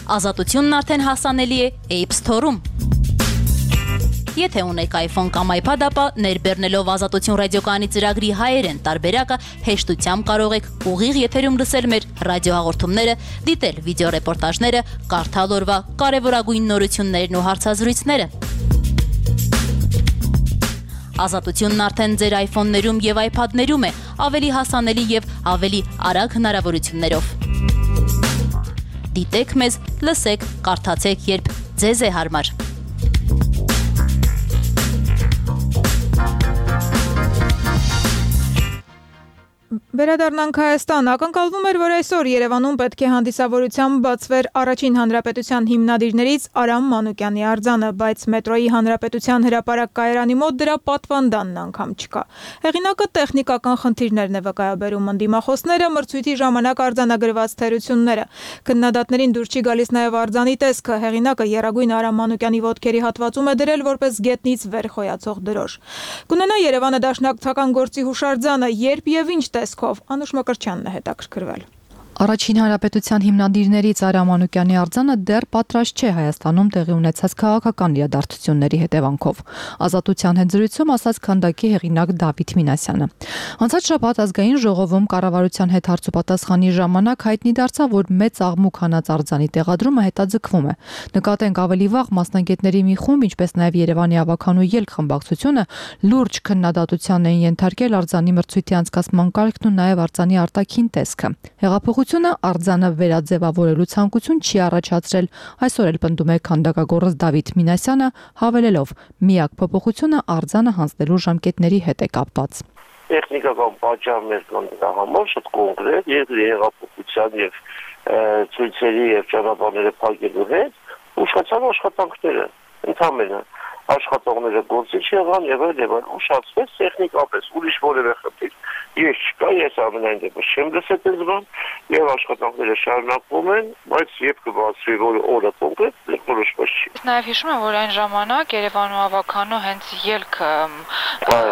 Ազատությունն արդեն հասանելի է App Store-ում։ Եթե ունեք iPhone կամ iPad, ապա ներբեռնելով Ազատություն ռադիոկայանի ծրագրի հայերեն տարբերակը հեշտությամբ կարող եք ուղիղ եթերում լսել մեր ռադիոհաղորդումները, դիտել վիդեոռեպորտաժները, կարդալ օրվա կարևորագույն նորություններն ու հարցազրույցները։ Ազատությունն արդեն ձեր iPhone-ներում եւ iPad-ներում է, ավելի հասանելի եւ ավելի արագ հնարավորություններով։ Դիտեք մեզ, լսեք, կարդացեք, երբ ձեզ է հարմար։ Վերադառնանք Հայաստան, ակնկալվում էր, որ այսօր Երևանում պետք է հանդիսավորությամբ բացվեր Առաջին հանրապետության հիմնադիրներից Արամ Մանուկյանի արձանը, բայց մետրոյի հանրապետության հրապարակ կայարանի մոտ դրա պատվանդանն անգամ չկա։ Հեղինակը տեխնիկական խնդիրներն է վկայաբերում, ընդդիմախոսները մրցույթի ժամանակ արձանագրված թերությունները։ Քննադատներին դուր չի գալիս նաև արձանի տեսքը, հեղինակը եռագույն Արամ Մանուկյանի ոտքերի հատվածում է դրել որպես գետնից վեր խոյացող դրոշ։ Կունենա Երևանը դաշնակցական գործի հուշարձանը, երբ եւ ինչ տեսքով Անուշ Մկրտչյանն է հետաքրքրվել։ Առաջին հանրապետության հիմնադիրներից Արամ Մանուկյանի արձանը դեռ պատրաստ չէ Հայաստանում տեղի ունեցած քաղաքական իրադարձությունների հետևանքով։ Ազատության հետ զրույցում ասաց քանդակի հեղինակ Դավիթ Մինասյանը։ Անցած շաբաթ ազգային ժողովում կառավարության հետ հարցուպատասխանի ժամանակ հայտնի դարձավ, որ մեծ աղմուկ հանած արձանի տեղադրումը հետաձգվում է։ Նկատենք ավելի վաղ մասնագետների մի խումբ, ինչպես նաև Երևանի ավականու ելք խմբակցությունը լուրջ քննադատության էին ենթարկել արձանի մրցույթի անցկացման կարգն ու նաև արձանի արտաքին տեսքը։ Հեղափոխությունը արձանը վերաձևավորելու ցանկություն չի առաջացրել, այսօր էլ պնդում է քանդակագործ Դավիթ Մինասյանը, հավելելով՝ միակ փոփոխությունը արձանը հանձնելու ժամկետների հետ է կապված։ Տեխնիկական պատճառներ կան դրա համար շատ կոնկրետ, երկրի հեղափոխության եւ ցույցերի եւ ճանապարհները փակելու հետ ուշացան աշխատանքները, ընդհանրապես աշխատողները գործիչ եղան եւ այլ եւ այլ ուշացվեց տեխնիկապես, ուրիշ որևէ խնդիր ես չկա, ես ամենայն դեպս չեմ լսել այս բան եւ աշխատանքները շարունակվում են, բայց երբ կբացվի որ օրը կոնկրետ որոշված չի։ Նաեւ հիշում եմ, որ այն ժամանակ Երևանու ավականու հենց ելք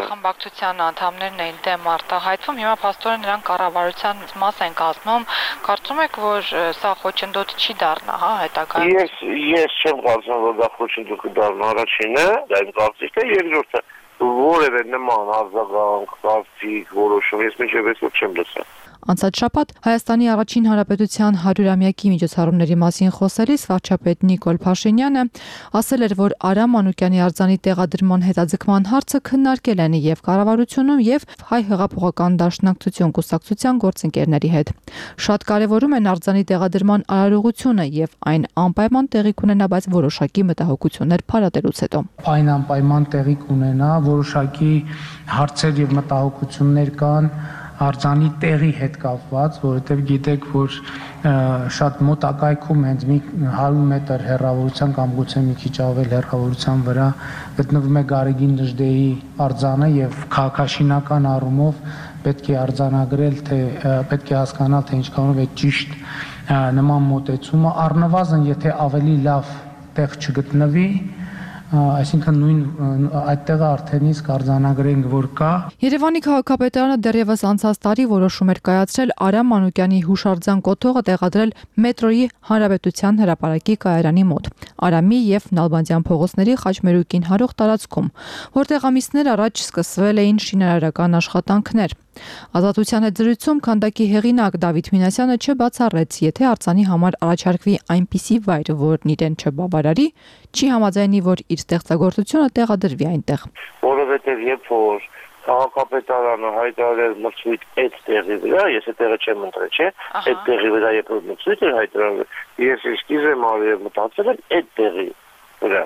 խմբակցության անդամներն էին դեմ արտահայտվում, հիմա փաստորեն նրանք կառավարության մաս են կազմում, կարծում եք, որ սա խոչընդոտ չի դառնա, հա, հետագայում։ Ես ես չեմ կարծում, որ դա խոչընդոտ կդառնա, առաջինը, դա իմ կարծիքն է, երկրորդը որևէ նման արձագանք, կարծիք, որոշում ես մինչև այսօր չեմ լսել։ Անցած շաբաթ Հայաստանի առաջին հանրապետության հարյուրամյակի միջոցառումների մասին խոսելիս վարչապետ Նիկոլ Փաշինյանը ասել էր, որ Արամ Մանուկյանի արձանի տեղադրման հետաձգման հարցը քննարկել են եւ կառավարությունում եւ Հայ հեղափոխական դաշնակցություն կուսակցության գործընկերների հետ։ Շատ կարեւորում են արձանի տեղադրման արարողությունը եւ այն անպայման տեղի կունենա, բայց որոշակի մտահոգություններ փարատելուց հետո։ Այն անպայման տեղի կունենա, որոշակի հարցեր եւ մտահոգություններ կան արձանի տեղի հետ կապված, որովհետև գիտեք, որ շատ մոտակայքում հենց մի հարյուր մետր հեռավորության կամ գուցե մի քիչ ավել հեռավորության վրա գտնվում է Գարեգին Դժդեի արձանը եւ քաղաքաշինական առումով պետք է արձանագրել, թե պետք է հասկանալ, թե ինչքանով է ճիշտ նման մոտեցումը, առնվազն եթե ավելի լավ տեղ չգտնվի, այսինքն նույն այդտեղը արդեն իսկ արձանագրենք, որ կա։ Երևանի քաղաքապետարանը դեռևս անցած տարի որոշում էր կայացրել Արամ Մանուկյանի հուշարձան կոթողը տեղադրել մետրոյի հանրապետության հրապարակի կայարանի մոտ, Արամի եւ Նալբանդյան փողոցների խաչմերուկին հարող տարածքում, որտեղ ամիսներ առաջ սկսվել էին շինարարական աշխատանքներ։ Ազատության հետ զրույցում քանդակի հեղինակ Դավիթ Մինասյանը չբացառեց, եթե արձանի համար առաջարկվի այնպիսի վայր, որն իրեն չբավարարի, չի համաձայնի, որ իր ստեղծագործությունը տեղադրվի այնտեղ։ Որովհետև երբ որ քաղաքապետարանը հայտարարել մրցույթ այդ տեղի վրա, ես այդ տեղը չեմ ընտրել, չէ՞, այդ տեղի վրա երբ որ մրցույթ էր հայտարարել, ես իսկիզ եմ արել եւ մտածել եմ այդ տեղի վրա։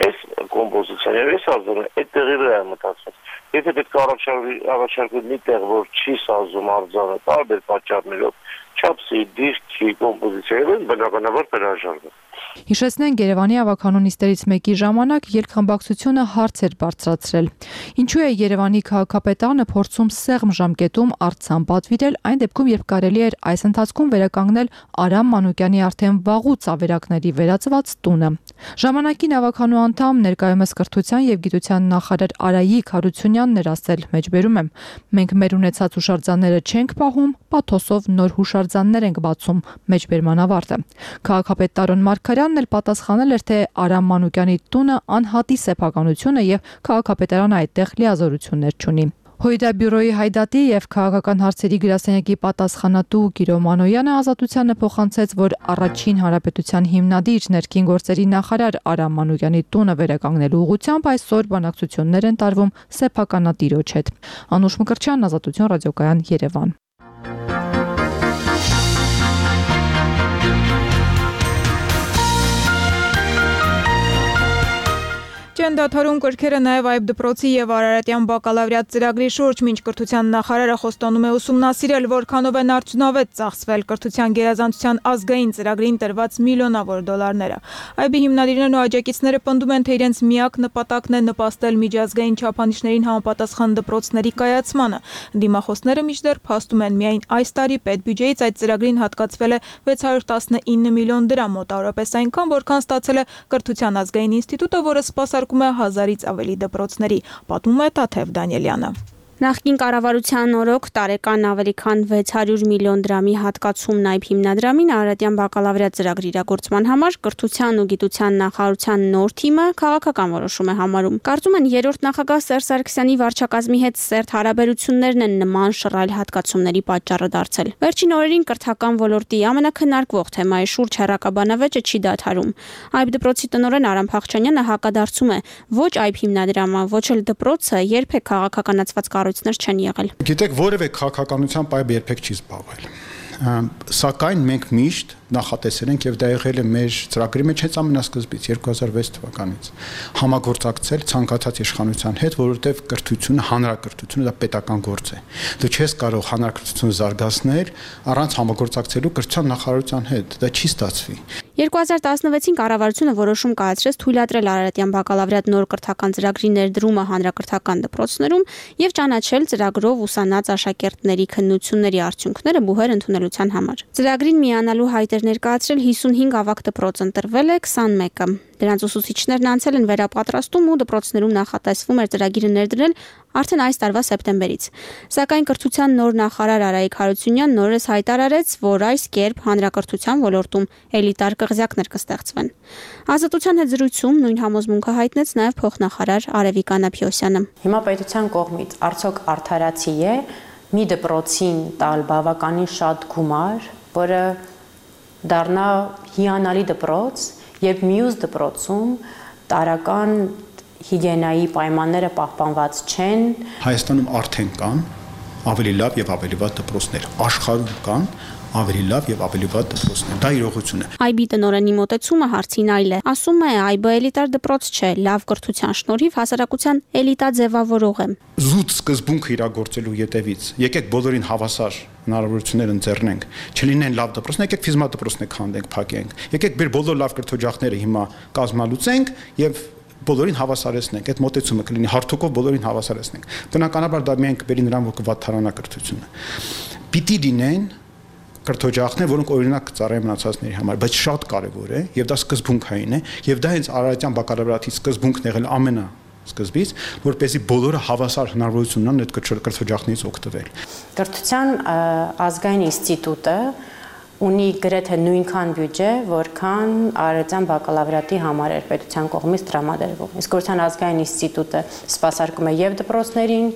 Այս կոմպոզիցիան եւ այս արձանը այդ տեղի վրա եմ մտածել։ Եթե պետք է առաջարկվի առաջարկվի մի տեղ, որ չի սազում արձանը, տարբեր պատճառներով, չափսի, դիրքի, կոմպոզիցիայով, բնականաբար հրաժարվում։ Հիշեցնենք Երևանի ավականու նիստերից մեկի ժամանակ ելքխմբակցությունը հարց էր բարձրացրել։ Ինչու է Երևանի քաղաքապետարանը փորձում սեղմ ժամկետում արձան պատվիրել այն դեպքում, երբ կարելի էր այս ընթացքում վերականգնել Արամ Մանուկյանի արդեն վաղուց ավերակների վերածված տունը։ Ժամանակին ավականու անդամ ներկայումս կրթության եւ գիտության նախարար Արայիկ Հարությունյանն էր ասել, մեջբերում եմ, մենք մեր ունեցած հուշարձանները չենք պահում, պաթոսով նոր հուշարձաններ ենք բացում, մեջբերման ավարտը։ Քաղաքապետ Տարոն Մարգարյանն էլ պատասխանել էր, թե Արամ Մանուկյանի տունը անհատի սեփականություն է եւ քաղաքապետարանը այդտեղ լիազորություններ չունի։ Հույդա բյուրոյի հայդատի եւ քաղաքական հարցերի գրասենյակի պատասխանատու Գիրո Մանոյանը Ազատությանը փոխանցեց, որ առաջին հանրապետության հիմնադիր ներքին գործերի նախարար Արամ Մանուկյանի տունը վերականգնելու ուղղությամբ այսօր բանակցություններ են տարվում սեփականատիրոջ հետ։ Անուշ Մկրտչյան, Ազատություն ռադիոկայան, Երևան։ չեն դադարում կրքերը նաև այբ դպրոցի եւ Արարատյան բակալավրիատ ծրագրի շուրջ, մինչ կրթության նախարարը խոստանում է ուսումնասիրել, որքանով են արդյունավետ ծախսվել կրթության գերազանցության ազգային ծրագրին տրված միլիոնավոր դոլարները։ Այբի հիմնադիրներն ու աջակիցները պնդում են, թե իրենց միակ նպատակն է նպաստել միջազգային չափանիշներին համապատասխան դպրոցների կայացմանը։ Դիմախոսները մինչդեռ փաստում են, միայն այս տարի պետբյուջեից այդ ծրագրին հատկացվել է վեց հարյուր տասնինը միլիոն դրամ, մոտավորապես այնքան, որքան ստացել է Կրթության ազգային ինստիտուտը, որը սպասարկում է հազարից ավելի դպրոցների, պատմում է Տաթև Դանիելյանը։ Նախկին կառավարության օրոք տարեկան ավելի քան վեց հարյուր միլիոն դրամի հատկացումն այբ հիմնադրամին Արարատյան բակալավրիատ ծրագրի իրագործման համար կրթության ու գիտության նախարարության նոր թիմը քաղաքական որոշում է համարում։ Կարծում են երրորդ նախագահ Սերժ Սարգսյանի վարչակազմի հետ սերտ հարաբերություններն են նման շռայլ հատկացումների պատճառը դարձել։ Վերջին օրերին կրթական ոլորտի ամենակնարկվող թեմայի շուրջ հեռակաբանավեճը չի դադարում։ Այբ դպրոցի տնօրեն Արամ Փախչանյանը հակադարձում է, ոչ այբ հիմնադրամը, ոչ էլ դպրոցը երբեք քաղաքականացված կառույցներ չեն եղել։ Գիտեք, որևէ քաղաքականությամբ այբ երբեք չի զբաղվել։ Սակայն մենք միշտ նախատեսել ենք եւ դա եղել է մեր ծրագրի մեջ հենց ամենասկզբից երկու հազար վեց թվականից համագործակցել ցանկացած իշխանության հետ, որովհետեւ կրթությունը, հանրակրթությունը դա պետական գործ է։ Դու չես կարող հանրակրթությունը զարգացնել առանց համագործակցելու կրթության նախարարության հետ, դա չի ստացվի։ երկու հազար տասնվեցին կառավարությունը որոշում կայացրեց թույլատրել Արարատյան բակալավրիատ նոր կրթական ծրագրի ներդրումը հանրակրթական դպրոցներում եւ ճանաչել ծրագրով ուսանած աշակերտների քննությունների արդյունքները բուհեր ընդունելության համար։ Ծրագրին միանալու հայտեր ներկայացրել հիսունհինգ ավագ դպրոց, ընտրվել է քսանմեկը։ Դրանց ուսուցիչներն անցել են վերապատրաստում ու դպրոցներում նախատեսվում էր ծրագիրը ներդրել արդեն այս տարվա սեպտեմբերից։ Սակայն կրթության նոր նախարար Արայիկ Հարությունյանն նորից հայտարարեց, որ այս կերպ հանրակրթության ոլորտում էլիտար կղզյակներ կստեղծվեն։ Ազատության հետ զրույցում նույն համոզմունքը հայտնեց նաև փոխնախարար Արևիկ Անապիոսյանը։ Հիմա պետության կողմից արդյոք արդարացի է մի դպրոցին տալ բավականին շատ գումար, որը դառնա հիանալի դպրոց, երբ մյուս դպրոցում տարական հիգիենայի պայմանները պահպանված չեն։ Հայաստանում արդեն կան ավելի լավ եւ ավելի վատ դպրոցներ, աշխարհում կան ավելի լավ եւ ավելի վատ դպրոցներ։ Դա իրողություն է։ Այբի տնօրենի մոտեցումը հարցին այլ է։ Ասում է, այբը էլիտար դպրոց չէ, լավ կրթության շնորհիվ հասարակության էլիտա ձևավորող է։ Զուտ սկզբունքը իրագործելու յետևից եկեք բոլորին հավասար հնարավորություններ ընձեռնենք։ Չլինեն լավ դպրոցներ, եկեք ֆիզմա դպրոցներ քանդենք, փակենք։ Եկեք մեր բոլոր լավ կրթօջախները հիմա կազմալուծենք եւ բոլորին հավասարեցնենք, այդ մոտեցումը կլինի հարթուկով բոլորին հավասարեցնենք։ Բնականաբար դա միայն կբերի նրան, որ կվատթարանա կրթությունը։ Պիտի լինեն կրթօջախներ, որոնք օրինակ կծառայեն մնացածների համար, բայց շատ կարևոր է եւ դա սկզբունքային է եւ դա հենց Արարատյան բակալավրիատի սկզբունքն եղել ամենա սկզբից, որպեսզի բոլորը հավասար հնարավորություն ունենան այդ կրթօջախներից օգտվել։ Կրթության ազգային ինստիտուտը ունի գրեթե նույնքան բյուջե, որքան Արարատյան բակալավրիատի համար էր պետության կողմից տրամադրվում։ Իսկ Կրթության ազգային ինստիտուտը սպասարկում է եւ դպրոցներին,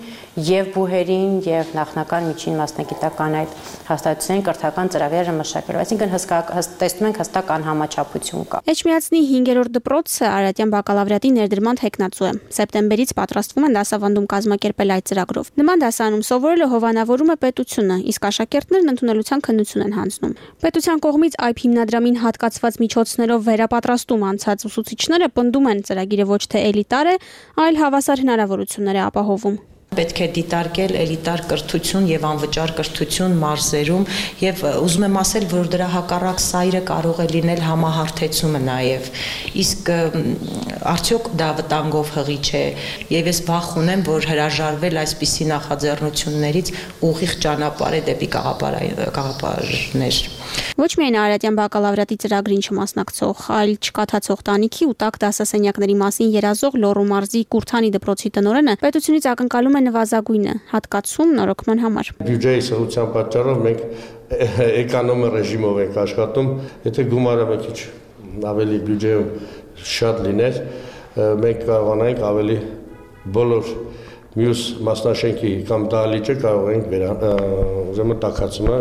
եւ բուհերին, եւ նախնական միջին մասնագիտական այդ հաստատությունների կրթական ծրագրերը մշակելու։ Այսինքն տեսնում ենք հստակ անհամաչափություն կա։ Էջմիածնի հինգերորդ դպրոցը Արարատյան բակալավրիատի ներդրման թեկնածու է։ Սեպտեմբերից պատրաստվում են դասավանդում կազմակերպել այդ ծրագրով։ Նման դասարանում սովորելը հովանավորում է պետությունը, իսկ աշակերտներն ընդունելության քննություն են հանձնում։ Պետության կողմից այբ հիմնադրամին հատկացված միջոցներով վերապատրաստում անցած ուսուցիչները պնդում են, ծրագիրը ոչ թե էլիտար է, այլ հավասար հնարավորություններ է ապահովում։ Պետք է դիտարկել էլիտար կրթություն եւ անվճար կրթություն մարզերում եւ ուզում եմ ասել, որ դրա հակառակ սայրը կարող է լինել համահարթեցումը նաեւ։ Իսկ արդյոք դա վտանգով հղի չէ եւ ես վախ ունեմ, որ հրաժարվել այսպիսի նախաձեռնություններից ուղիղ ճանապարհ է դեպի գաղափարներ։ Ոչ միայն Արարատյան բակալավրիատի ծրագրին չմասնակցող, այլ չկաթացող տանիքի ու տակ դասասենյակների մասին երազող Լոռու մարզի Կուրթանի դպրոցի տնօրենը պետությունից ակնկալում է նվազագույնը, հատկացում նորոգման համար։ Բյուջեի սղության պատճառով մենք էկոնոմի ռեժիմով ենք աշխատում, եթե գումարը մի քիչ ավելի բյուջեում շատ լիներ, մենք կարողանանք ավելի բոլոր մյուս մասնաշենքի կամ դահլիճը կարող ենք ուրեմն տաքացումը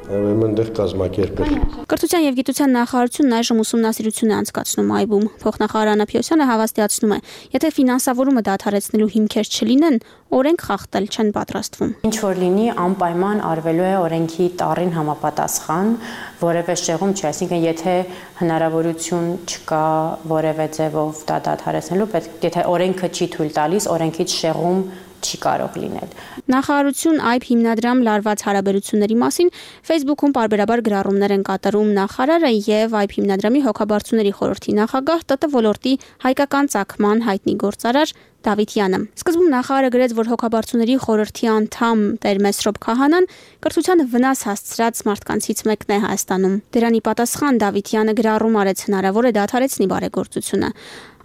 այնտեղ կազմակերպել։ Կրթության եւ գիտության նախարարությունն այժմ ուսումնասիրություն է անցկացնում այբում։ Փոխնախարար Աննա Փյոսյանը հավաստիացնում է, եթե ֆինանսավորումը դադարեցնելու հիմքեր չլինեն, օրենք խախտել չեն պատրաստվում։ Ինչ որ լինի, անպայման արվելու է օրենքի տառին համապատասխան, որևէ շեղում չի, այսինքն եթե հնարավորություն չկա որևէ ձևով դա դադարեցնելու, պետք եթե օրենքը չի թույլ տալիս, օրենքից շեղում չի կարող լինել։ Նախարարություն այբ հիմնադրամ լարված հարաբերությունների մասին Facebook-ում պարբերաբար գրառումներ են կատարում նախարարը եւ այբ հիմնադրամի հոգաբարձուների խորհրդի նախագահ ՏՏ ոլորտի հայկական ծագման հայտնի գործարար Դավիթյանը։ Սկզբում նախարարը գրեց, որ հոգաբարձուների խորհրդի անդամ Տեր Մեսրոպ Քահանան կրթությանը վնաս հասցրած մարդկանցից մեկն է Հայաստանում։ Դրանի պատասխան Դավիթյանը գրառում արեց հնարավոր է դադարեցնի բարեգործությունը։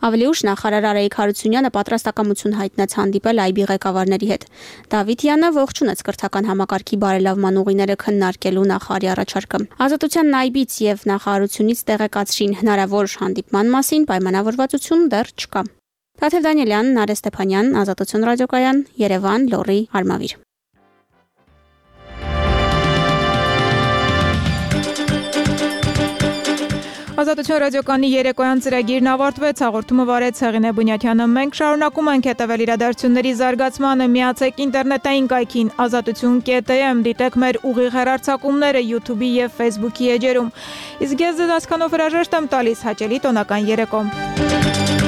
Ավելի ուշ նախարար Արայիկ Հարությունյանը պատրաստակամություն հայտնեց հանդիպել այբի ղեկավարների հետ։ Դավիթյանը ողջունեց կրթական համակարգի բարելավման ուղիները քննարկելու նախարարի առաջարկը։ Ազատության այբից եւ նախարարությունից տեղեկացրին հնարավոր հանդիպման մասին, պայմանավորվածություն դեռ չկա։ Թաթև Դանիելյան, Նարէ Ստեփանյան, Ազատություն ռադիոկայան, Երևան, Լոռի, Արմավիր։ Ազատություն ռադիոկայանի երեկոյան ծրագիրն ավարտվեց, հաղորդումը վարեց Հեղինե Բունյաթյանը։ Մենք շարունակում ենք հետևել իրադարձությունների զարգացմանը, միացեք ինտերնետային կայքին ազատություն կետ եմ, դիտեք մեր ուղիղ հեռարձակումները YouTube-ի եւ Facebook-ի էջերում։ Իսկ ես ձեզ այսքանով հրաժեշտ եմ տալիս, հաճելի տոնական երեկո։